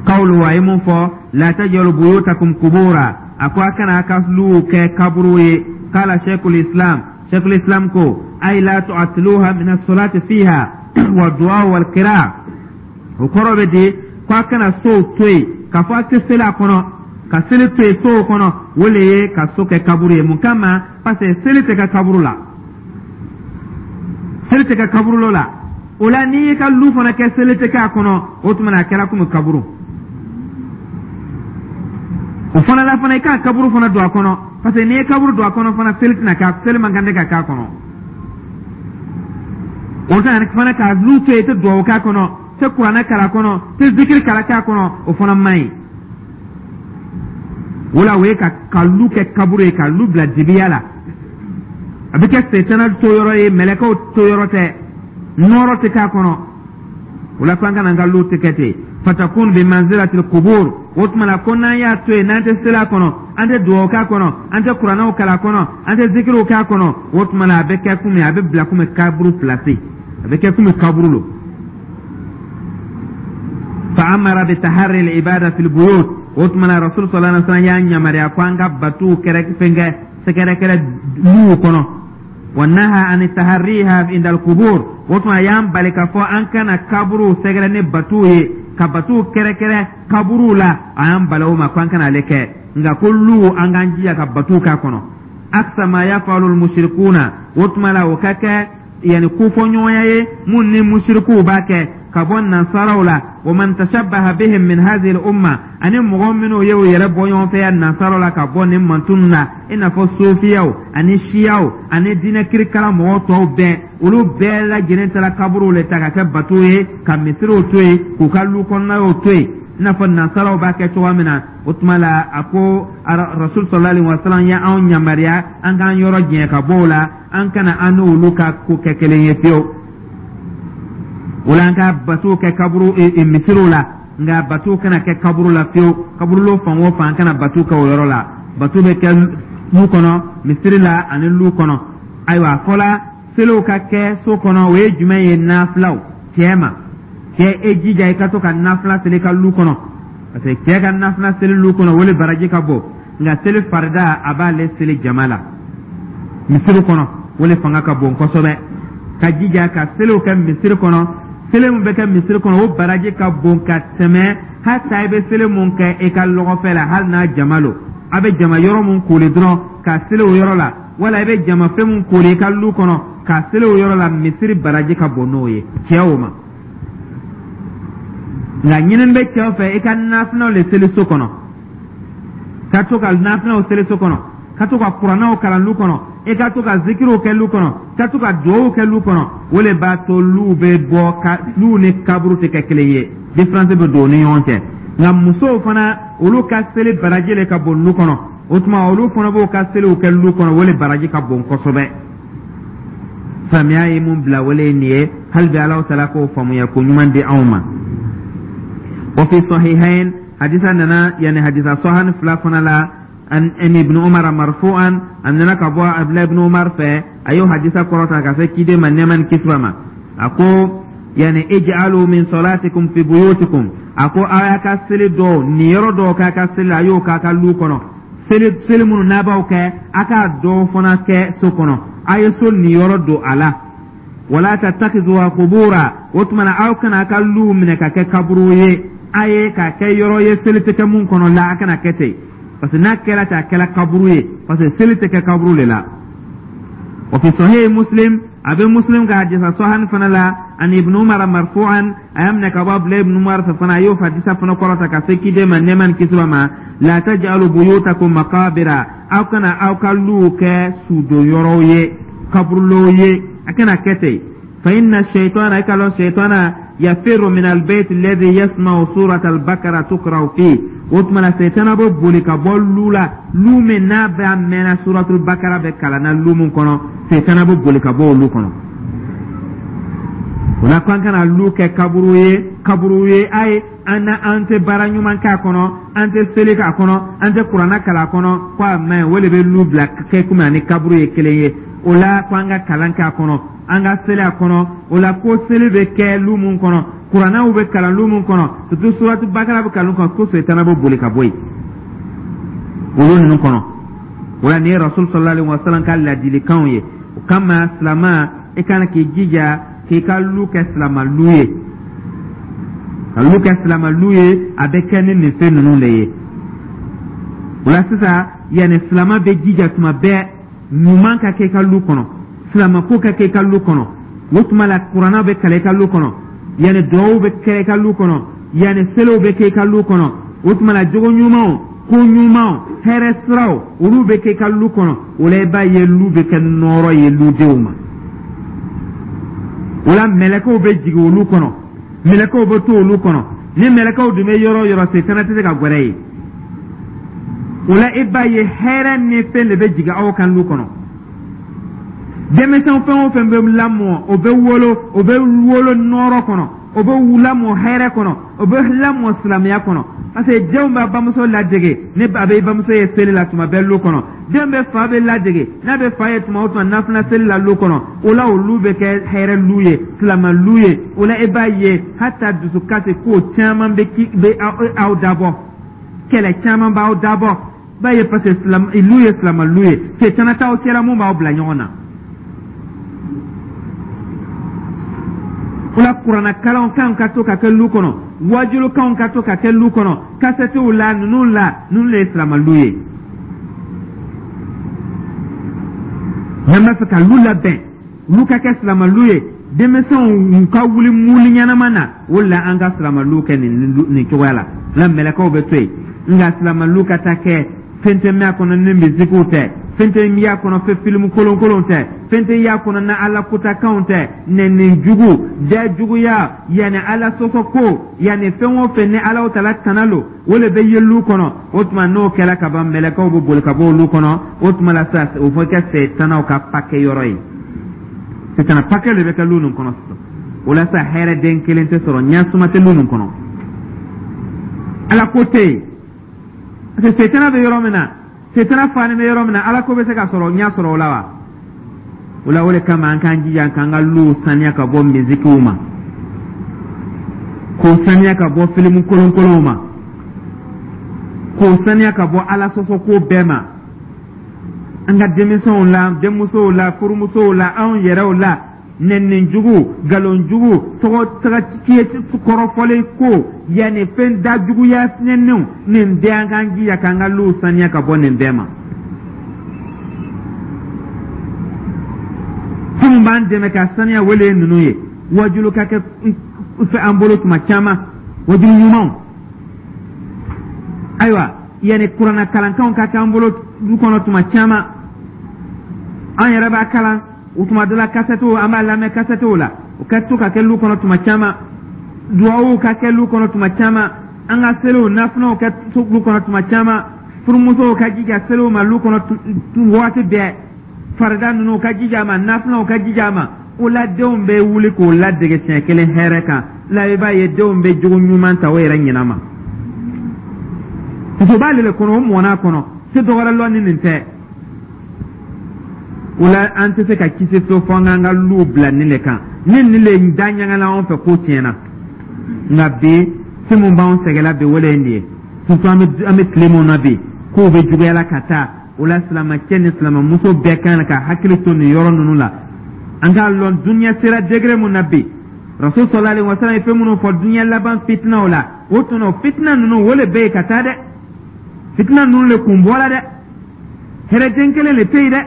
Qawlu, a ye mun fɔ, la tajalu buyutakum kubura, a ko a kana a ka luw kɛ kaburu ye. Qala sheikhul islam, sheikhul islam ko ay la tu'atiluha min as-salati fiha wa du'a wal qira'a. O kɔrɔ bɛ di ko a kana sow to yen k'a fɔ a tɛ seli a kɔnɔ, ka seli to yen sow kɔnɔ, o le ye ka so kɛ kaburu ye. Mun kama? Parce que seli tɛ kɛ kaburu la, seli tɛ kɛ kaburu la. O la, n'i y'i ka lu fana kɛ seli tɛ kɛ a kɔnɔ, o tuma na a kɛra komi kaburu. O fana la fana, i k'a kaburu fana don a kɔnɔ, parce que n'i ye kaburu don a kɔnɔ fana, seli tɛna kɛ, seli man kan tɛ ka k'a kɔnɔ. O tɛ fana k'a lu to yen, i tɛ duwawu k'a kɔnɔ, tɛ kuranɛ kalan a kɔnɔ, tɛ zikiri kalan k'a kɔnɔ, o fana man ɲi. O la, o ye ka ka lu kɛ kaburu ye, ka lu bila dibiya la, a bɛ kɛ setana to yɔrɔ ye, mɛlɛkɛw to yɔrɔ tɛ, nɔɔrɔ tɛ k'a kɔnɔ. O la, k'an kana an ka lu tɛ kɛ ten. Fatakun bi manzilatil qubur, o tuma na ko n'an y'a to yen, n'an tɛ seli a kɔnɔ, an tɛ duwawu k'a kɔnɔ, an tɛ kuranɛw kalan a kɔnɔ, an tɛ zikiriw k'a kɔnɔ, o tuma na a bɛ kɛ komi, a bɛ bila komi kaburu pilasi, a bɛ kɛ komi kaburu lo. Fa amara bi taharri al ibada fil buyut, o tuma na Rasul sallallahu alaihi wasallam y'a yamaruya ko an ka batuw kɛrɛ fɛnkɛ sɛgɛrɛkɛrɛ luw kɔnɔ. Wa naha an taharriha inda alqubur. O tuma, a y'an bali k'a fɔ an kana kaburuw sɛgɛrɛ ni batuw ye, ka batuw kɛrɛkɛrɛ kaburuw la. A y'an bali o ma ko an kana ale kɛ, nka ko luw, an k'an jija ka batuw k'a kɔnɔ. Aksa ma yafalu almushrikuna. O tuma la, o ka kɛ yani kofɔɲɔgɔnya ye mun ni musirikuw b'a kɛ ka bɔ nansaraw la. Wa man tashabbaha bihim min hadhihi al-umma, ani mɔgɔ minnu ye u yɛrɛ bɔ ɲɔgɔn fɛ ya nansaraw la ka bɔ nin mantunu na, i n'a fɔ sofiyaw ani siyaw ani diinɛ kirikara mɔgɔ tɔw bɛɛ, olu bɛɛ lajɛlen taara kaburuw le ta ka kɛ bato ye, ka misiriw to yen, k'u ka lu kɔnɔnaw to yen, i n'a fɔ nansaraw b'a kɛ cogoya min na. O tuma la, a ko Rasul sallallahu alaihi wasallam ye anw yamaruya an k'an yɔrɔ jɛn ka bɔ o la, an kana an n'olu ka ko kɛ kelen ye fiyewu. O la, an ka batow kɛ kaburu misiriw la, nka batow kana kɛ kaburu la fiyewu. Kaburulo fan o fan, an kana batow kɛ o yɔrɔ la. Bato bɛ kɛ lu kɔnɔ, misiri la ani lu kɔnɔ. Ayiwa, a fɔla seliw ka kɛ so kɔnɔ. O ye jumɛn ye? Nafilaw. Cɛ ma, cɛ, e jija i ka to ka nafila seli ka lu kɔnɔ, parce que cɛ ka nafila seli lu kɔnɔ, o le baraji ka bon. Nka seli farida, a b'ale seli jama la misiri kɔnɔ, o le fanga ka bon kosɛbɛ. Ka jija ka seliw kɛ misiri kɔnɔ. Seli min bɛ kɛ misiri kɔnɔ, o baraji ka bon ka tɛmɛ hata i bɛ seli mun kɛ i ka lɔgɔfɛ la, hali n'a jama lo. A bɛ jama yɔrɔ mun kooli dɔrɔn ka seli o yɔrɔ la, wala i bɛ jama fɛn mun kooli i ka lu kɔnɔ ka seli o yɔrɔ la, misiri baraji ka bon n'o ye cɛw ma. Nka ɲinin bɛ cɛw fɛ, i ka nafilaw le seli so kɔnɔ, ka to ka nafilaw seli so kɔnɔ, ka to ka kuranɛw kalan lu kɔnɔ, i ka to ka zikiriw kɛ lu kɔnɔ, ka to ka duwawu kɛ lu kɔnɔ. O le b'a to luw bɛ bɔ ka luw ni kaburu tɛ kɛ kelen ye, différence bɛ don u ni ɲɔgɔn cɛ. Nka musow fana, olu ka seli baraji le ka bon lu kɔnɔ. O tuma, olu fana b'o ka seliw kɛ lu kɔnɔ, o le baraji ka bon kosɛbɛ. Silamɛya ye mun bila, wele ye nin ye. Hali bi, Alahu taala k'o faamuya ko ɲuman di anw ma. Wa fi sahihain, hadisa nana, yani hadisa sɔhani fila fana la, an Ibn Umar marfu'an. A nana ka bɔ Abdulahi ibn Umar fɛ, a y'o hadisa kɔrɔta ka se kiden ma, nɛɛma ni kisi b'a ma. A ko yani ij'alu min salatikum fi buyutikum. A ko aw y'a ka seli dɔw nin yɔrɔ dɔw k'a ka seli la, a y'o k'a ka lu kɔnɔ. Seli seli minnu n'a b'aw kɛ, a k'a dɔw fana kɛ so kɔnɔ, a ye so nin yɔrɔ don a la. Wala tattakhidhuha qubura. O tuma na, aw kana a ka luw minɛ ka kɛ kaburu ye, a ye k'a kɛ yɔrɔ ye seli tɛ kɛ mun kɔnɔ la. A kana kɛ ten, parce que n'a kɛra ten, a kɛra kaburu ye, parce que seli tɛ kɛ kaburu de la. Wa fi sahih Muslim, a bɛ Muslim ka hadisa sɔhani fana la, ani Ibn Umar marfu'an. A y'a minɛ ka bɔ Abdulayi ibn Umar fɛ fana, a y'o hadisa fana kɔrɔta ka se kiden ma, nɛɛma ni kisi b'a ma: la taj'alu buyutakum maqabira. Aw kana aw ka luw kɛ sudon ye, kaburulow ye, a kana kɛ ten. Fa inna shaytana, i ka lɔn shaytana, yafirru min albayt alladhi yasma'u surat al-Bakara tuqra'u fi. O tuma na, sɛtana bɛ boli ka bɔ lu la, lu min n'a bɛ a mɛnna suratul Bakara bɛ kalan na lu min kɔnɔ, sɛtana bɛ boli ka bɔ olu kɔnɔ. O la, ko an kana lu kɛ kaburu ye, kaburu ye a ye an na an tɛ baara ɲuman k'a kɔnɔ, an tɛ seli k'a kɔnɔ, an tɛ kuranna kalan a kɔnɔ, ko a man ɲi. O de bɛ lu bila kɛ komi ani kaburu ye kelen ye. O la, ko an ka kalan k'a kɔnɔ, an ka seli a kɔnɔ. O la, ko seli bɛ kɛ lu mun kɔnɔ, kuranɛw bɛ kalan lu mun kɔnɔ, surtout suratu Bakara bɛ kalan kɔnɔ, ko sɛtana bɛ boli ka bɔ yen olu ninnu kɔnɔ. O la, nin ye Rasul sallallahu alaihi wa sallam ka ladilikanw ye. O kama, silama, i kan k'i jija k'i ka lu kɛ silama lu ye. Ka lu kɛ silama lu ye, a bɛ kɛ ni nin fɛn ninnu de ye. O la sisan, yanni silama bɛ jija tuma bɛɛ, ɲuman ka kɛ i ka lu kɔnɔ, silama ko ka kɛ i ka lu kɔnɔ. O tuma la, kuranna bɛ kalan i ka lu kɔnɔ, yanni duwawu bɛ kɛ i ka lu kɔnɔ, yanni seliw bɛ kɛ i ka lu kɔnɔ. O tuma la, jogo ɲumanw, ko ɲumanw, hɛrɛ siraw, olu bɛ kɛ i ka lu kɔnɔ. O la, i b'a ye lu bɛ kɛ nɔɔrɔ ye ludenw ma. O la, mɛlɛkɛw bɛ jigin olu kɔnɔ, mɛlɛkɛw bɛ to olu kɔnɔ. Ni mɛlɛkɛw dun bɛ yɔrɔ o yɔrɔ, setana tɛ se ka gwɛrɛ yen. O la, i b'a ye hɛrɛ ni fɛn de bɛ jigin aw kan lu kɔnɔ. Denmisɛn fɛn o fɛn bɛ lamɔ, o bɛ wolo, o bɛ wolo nɔɔrɔ kɔnɔ, o bɛ lamɔ hɛrɛ kɔnɔ, o bɛ lamɔ silamɛya kɔnɔ, parce que denw b'a bamuso ladege ni a bɛ bamuso ye seli la tuma bɛɛ lu kɔnɔ. Den bɛ fa bɛ ladege n'a bɛ fa ye tuma o tuma nafila seli la lu kɔnɔ. O la, olu bɛ kɛ hɛrɛ lu ye, silamɛ lu ye. O la, i b'a ye hata dusukasi ko caman bɛ ki bɛ aw dabɔ, kɛlɛ caman b'aw dabɔ, b'a ye, parce que lu ye silamɛ lu ye, setana t'aw cɛla mun b'aw bila ɲɔgɔn na. O la, kuranna kalanw kan ka to ka kɛ lu kɔnɔ, wajulukanw ka to ka kɛ lu kɔnɔ, kasɛtiw la, ninnu la, ninnu le ye silamalu ye. N'an b'a fɛ ka lu labɛn, lu ka kɛ silamalu ye, denmisɛnw ka wuli muli ɲɛnama na, o la an ka silamalu kɛ nin nin cogoya la. La mɛlɛkɛw bɛ to yen, nka silamalu ka taa kɛ fɛn tɛ mɛn a kɔnɔ ni misikiw tɛ, fɛn tɛ y'a kɔnɔ fɛ filimu kolonkolonw tɛ, fɛn tɛ y'a kɔnɔ na Ala kutakanw tɛ, nɛni jugu, da juguya, yanni Ala sɔsɔ ko, yanni fɛn o fɛn ni Ala tala tana lo, o le bɛ ye lu kɔnɔ. O tuma, n'o kɛra ka ban, mɛlɛkɛw bɛ boli ka bɔ olu kɔnɔ. O tuma la sa, o fɔ kɛ sɛtanaw ka pakɛ yɔrɔ ye. Sɛtana pakɛ de bɛ kɛ lu nin kɔnɔ sisan. O la sa, hɛrɛ den kelen tɛ sɔrɔ, ɲɛsuma tɛ lu nin kɔnɔ, Ala ko tɛ yen, parce que sɛtana bɛ yɔrɔ min na, setana fani bɛ yɔrɔ min na, Ala ko bɛ se ka sɔrɔ ɲɛ sɔrɔ o la wa? O la, o de kama an k'an jija k'an ka luw saniya ka bɔ misikiw ma, k'o saniya ka bɔ filimu kolonkolonw ma, k'o saniya ka bɔ Ala sɔsɔ ko bɛɛ ma, an ka denmisɛnw la, denmusow la, furumusow la, anw yɛrɛw la. Nɛni jugu, nkalon jugu, tɔgɔ tɔgɔ kɔrɔfɔlen ko, yanni fɛn dajuguya nɛniw, nin bɛɛ, an k'an jija k'an ka luw saniya ka bɔ nin bɛɛ ma. Fɛn min b'an dɛmɛ ka saniya, wele ye ninnu ye: wajulu ka kɛ fɛ an bolo tuma caman, wajulu ɲumanw. Ayiwa, yanni kuranna kalankanw ka kɛ an bolo du kɔnɔ tuma caman, an yɛrɛ b'a kalan o tuma dɔ la, kasɛtiw, an b'a lamɛn kasɛtiw la, o ka to ka kɛ lu kɔnɔ tuma caman. Duwawu ka kɛ lu kɔnɔ tuma caman, an ka seliw nafilaw kɛ lu kɔnɔ tuma caman. Furumusow ka jija seliw ma lu kɔnɔ waati bɛɛ, farida ninnu ka jija a ma, nafilaw ka jija a ma. O la, denw bɛ wuli k'o ladege siɲɛ kelen hɛrɛ kan la, i b'a ye denw bɛ jogo ɲuman ta o yɛrɛ ɲinɛ ma, parce que o b'ale le kɔnɔ, o mɔn'a kɔnɔ, se dɔ wɛrɛ lɔ ni nin tɛ. O la, an tɛ se ka kisi fiyewu fo an k'an ka luw bila nin de kan. Ni nin le da ɲagala anw fɛ, ko tiɲɛna. Nka bi, fɛn min b'anw sɛgɛnla bi, o de ye nin ye. Surtout an bɛ an bɛ tile mun na bi, kow bɛ juguyala ka taa. O la, silamɛcɛ ni silamɛmuso bɛɛ kan ka hakili to nin yɔrɔ ninnu la. An k'a lɔn dunuya sera degré mun na bi. Rasul sallallahu alaihi wasallam ye fɛn minnu fɔ dunuya laban fitinaw la, o tun o fitina ninnu, o le bɛ yen ka taa dɛ. Fitina ninnu le kun bɔra dɛ, hɛrɛden kelen le tɛ yen dɛ.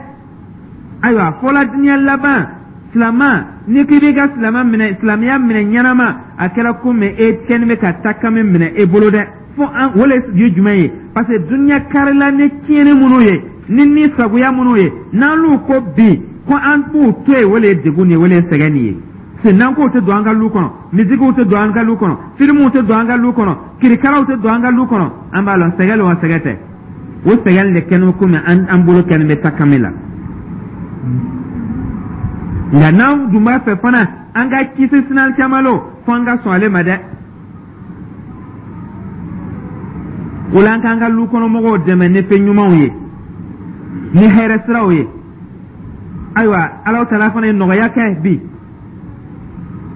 Ayiwa, fɔla dunuya laban, silama n'i k'i b'i ka silama minɛ, silamɛya minɛ ɲɛnama, a kɛra komi e kɛni bɛ ka takami minɛ e bolo dɛ. Fo an o le ye jumɛn ye? Parce que dunuya karila ni tiɲɛni minnu ye, ni ni sagoya minnu ye, n'an l'u ko bi ko an b'u to yen, o le ye degun nin ye, o le ye sɛgɛn nin ye. Parce que n'an k'o tɛ don an ka lu kɔnɔ, misikiw tɛ don an ka lu kɔnɔ, filimuw tɛ don an ka lu kɔnɔ, kirikaraw tɛ don an ka lu kɔnɔ, an b'a lɔn sɛgɛn wa sɛgɛn tɛ. O sɛgɛn de kɛni komi an an bolo kɛni bɛ takami la. Nka n'an dun b'a fɛ fana an ka kisi sinan caman lo, fo an ka sɔn ale ma dɛ. O la, an k'an ka lu kɔnɔmɔgɔw dɛmɛ ni fɛn ɲumanw ye, ni hɛrɛ siraw ye. Ayiwa, Alahu taala fana ye nɔgɔya kɛ bi.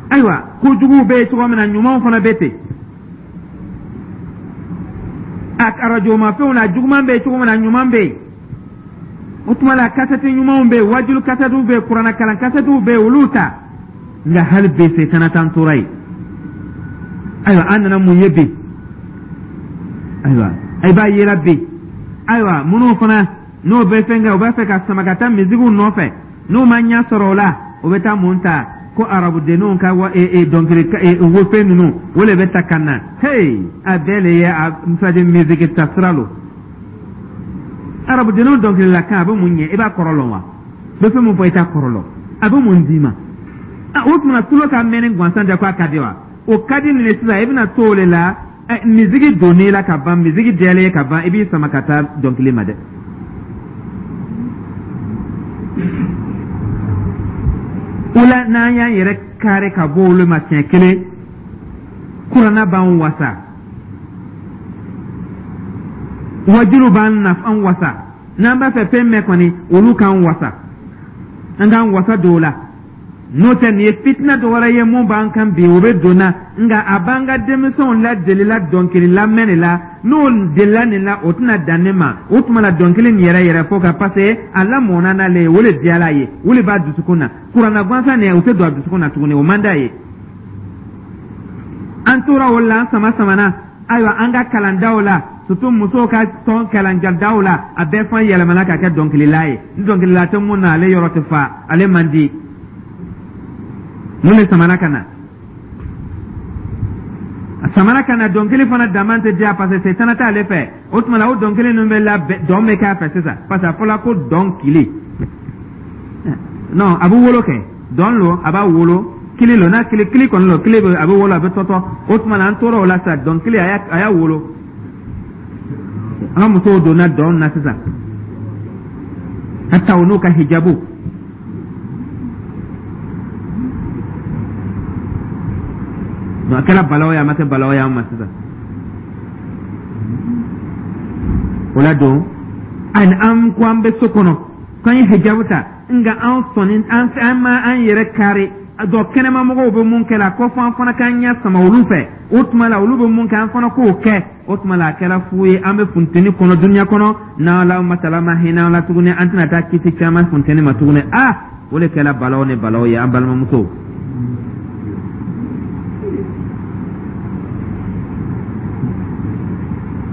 Ayiwa, kojuguw bɛ yen cogo min na, ɲumanw fana bɛ ten. A arajo mafɛnw na, juguman bɛ yen cogo min na, ɲuman bɛ yen. O tuma la, kasɛti ɲumanw bɛ yen, wajulu kasɛtiw bɛ yen, kuranna kalan kasɛtiw bɛ yen, olu ta. Nka hali bi, setana t'an tora yen. Ayiwa, an nana mun ye bi? Ayiwa, i b'a yera bi. Ayiwa, minnu fana n'o bɛ fɛn kɛ, u b'a fɛ ka sama ka taa misigiw nɔfɛ, n'u ma ɲɛ sɔrɔ o la, o bɛ taa mun ta? Ko arabudenninw ka wa e dɔnkili wofɛn ninnu, o de bɛ ta ka na. Hey, a bɛɛ le ye a misali misigi ta sira lo. Arabudenninw dɔnkilila kan, a bɛ mun ɲɛ? I b'a kɔrɔ lɔn wa? Bɛ fɛn mun fɔ, i t'a kɔrɔ lɔn. A bɛ mun d'i ma? O tuma, tulo ka mɛnni gansan tɛ ko a ka di wa? O ka di nin de. Sisan i bɛna to o de la, misigi donn'i la ka ban, misigi diyalen ka ban, i b'i sama ka taa dɔnkili ma dɛ. O la, n'an y'an yɛrɛ kari ka bɔ olu ma siɲɛ kelen, kuranna b'an wasa, wajulu b'an nafan wasa. N'an b'a fɛ fɛn mɛn kɔni, olu k'an wasa, an k'an wasa don o la. N'o tɛ, nin ye fitina dɔ wɛrɛ ye mun b'an kan bi, o bɛ don na. Nka a b'an ka denmisɛnw ladelila dɔnkili lamɛn de la. N'o delila nin la, o tɛna dan ne ma. O tuma la, dɔnkili nin yɛrɛ yɛrɛ fo ka, parce que a lamɔnna n'ale ye, o de diyara a ye, o de b'a dusukun na. Kuranna gansan nin, o tɛ don a dusukun na tuguni, o man d'a ye. An tora o la, an sama samana. Ayiwa, an ka kalandaw la, surtout musow ka tɔn kalanjadaw la, a bɛɛ fan yɛlɛmana ka kɛ dɔnkilila ye. Ni dɔnkilila tɛ mun na, ale yɔrɔ tɛ fa, ale man di. Mun de samana ka na? A samana ka na dɔnkili fana daman tɛ diya, parce que setana t'ale fɛ. O tuma la, o dɔnkili ninnu bɛ labɛn, dɔn bɛ k'a fɛ sisan, parce que a fɔla ko dɔnkili non, a bɛ wolo kɛ dɔn lo, a b'a wolo kili lo, n'a kili kili kɔni lo, kili bɛ a bɛ wolo, a bɛ tɔtɔ. O tuma la, an tora o la sisan, dɔnkili a y'a a y'a wolo. An ka musow donna dɔn na sisan, hata o n'u ka hijabu. A kɛra balawu ye, a ma kɛ balawu ye an ma sisan. O la don, ani an ko an bɛ so kɔnɔ k'an ye hijabu ta, nka an sɔnni an an ma an yɛrɛ kari dɔ kɛnɛma mɔgɔw bɛ mun kɛ la, ko fɔ an fana k'an ɲɛ sama olu fɛ. O tuma la, olu bɛ mun kɛ, an fana k'o kɛ. O tuma la, a kɛra fu ye. An bɛ funteni kɔnɔ dunuya kɔnɔ, n'ala masala ma hinɛ an la tuguni, an tɛna taa kisi caman funteni ma tuguni. Aa, o de kɛra balawu ni balawu ye, an balimamusow.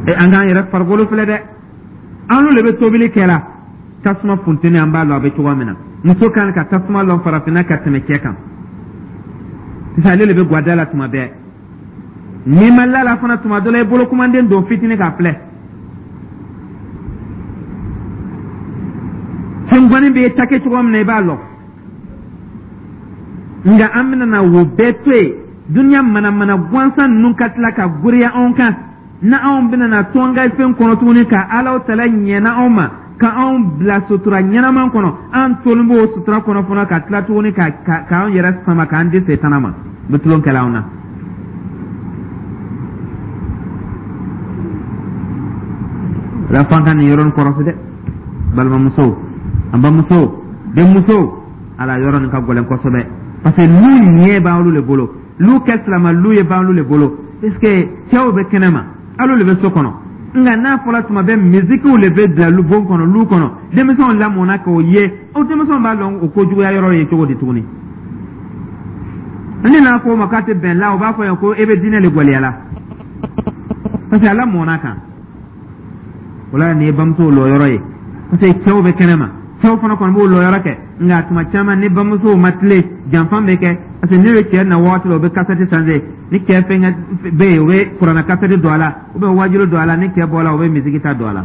E, an k'an yɛrɛ farikolo filɛ dɛ. An n'olu de bɛ tobili kɛ la, tasuma funteni, an b'a lɔn a bɛ cogoya min na. Muso kan ka tasuma lɔn farafinna ka tɛmɛ cɛ kan sisan. Ale de bɛ gwada la tuma bɛɛ. N'i ma la la fana, tuma dɔ la i bolo kumanden don fitinin k'a filɛ, fɛn bɛ ta kɛ cogo min na, i b'a lɔn. Nka an bɛna na wo bɛɛ to yen, duniya manamana gansan ninnu ka tila ka goriya anw kan, na anw bɛna na to an ka fɛn kɔnɔ tuguni ka Alahu tala ɲɛna anw ma, ka anw bila sutura ɲɛnaman kɔnɔ. An tolen b'o sutura kɔnɔ fana, ka tila tuguni ka k'an yɛrɛ sama k'an di setana ma, bɛ tulon kɛla anw na. La f'an ka nin yɔrɔnin kɔrɔsi dɛ, balimamusow, an bamusow, denmusow. Ala yɔrɔ nin ka gɛlɛn kosɛbɛ, parce que lu ɲɛ b'an le bolo, lu kɛ silama lu ye b'an le bolo, parce que cɛw bɛ kɛnɛma, alu le bɛ so kɔnɔ. Nka n'a fɔra tuma bɛɛ misikiw le bɛ bila lu bon kɔnɔ, lu kɔnɔ, denmisɛnw lamɔna k'o ye, o denmisɛnw b'a lɔn o kojuguya yɔrɔ ye cogo di tuguni? Ni n'a fɔ o ma k'a tɛ bɛn la, o b'a fɔ yan ko e bɛ diinɛ le gwɛlɛya la, parce que a lamɔna kan. O la, nin ye bamusow lɔyɔrɔ ye, parce que cɛw bɛ kɛnɛma, cɛw fana kɔni b'o lɔyɔrɔ kɛ. Nka tuma caman, ni bamusow ma tilen, janfan bɛ kɛ, parce que ne bɛ cɛ na waati la, o bɛ kasɛti changer. Ni cɛ fɛnkɛ bɛ yen, o bɛ kuranna kasɛti don a la, ou bien wajilu don a la. Ni cɛ bɔra, o bɛ misiki ta don a la.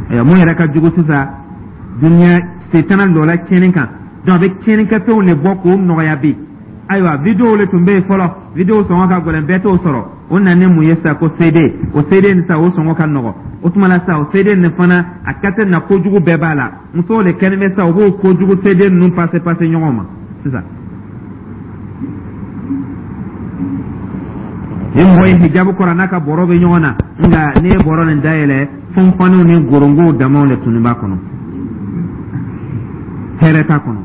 Ayiwa, mun yɛrɛ ka jugu sisan, duniya setana lɔla tiɲɛni kan, donc a bɛ tiɲɛnikɛfɛnw de bɔ k'o nɔgɔya bi. Ayiwa, video le tun bɛ yen fɔlɔ, video sɔngɔ ka gɛlɛn, bɛɛ t'o sɔrɔ. O nana mun ye sisan? Ko C D. O C D nin sisan, o sɔngɔ ka nɔgɔ. O tuma la sisan, o C D nin fana, a kasɛ na kojugu bɛɛ b'a la. Musow de kɛlen bɛ sisan, u b'o kojugu C D ninnu pase pase ɲɔgɔn ma sisan. Ni mɔgɔ ye hijabu kɔrɔ n'a ka bɔrɔ bɛ ɲɔgɔn na, nka n'i ye bɔrɔ nin dayɛlɛ, fɔnfɔnniw ni gorongow damaw de tun b'a kɔnɔ, hɛrɛ t'a kɔnɔ.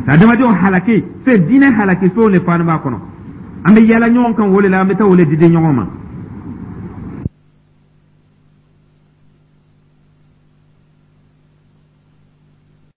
Adamadenw halaki fɛn, diinɛ halaki fɛnw de fana b'a kɔnɔ. An bɛ yala ɲɔgɔn kan o de la, an bɛ taa o de diden ɲɔgɔn ma.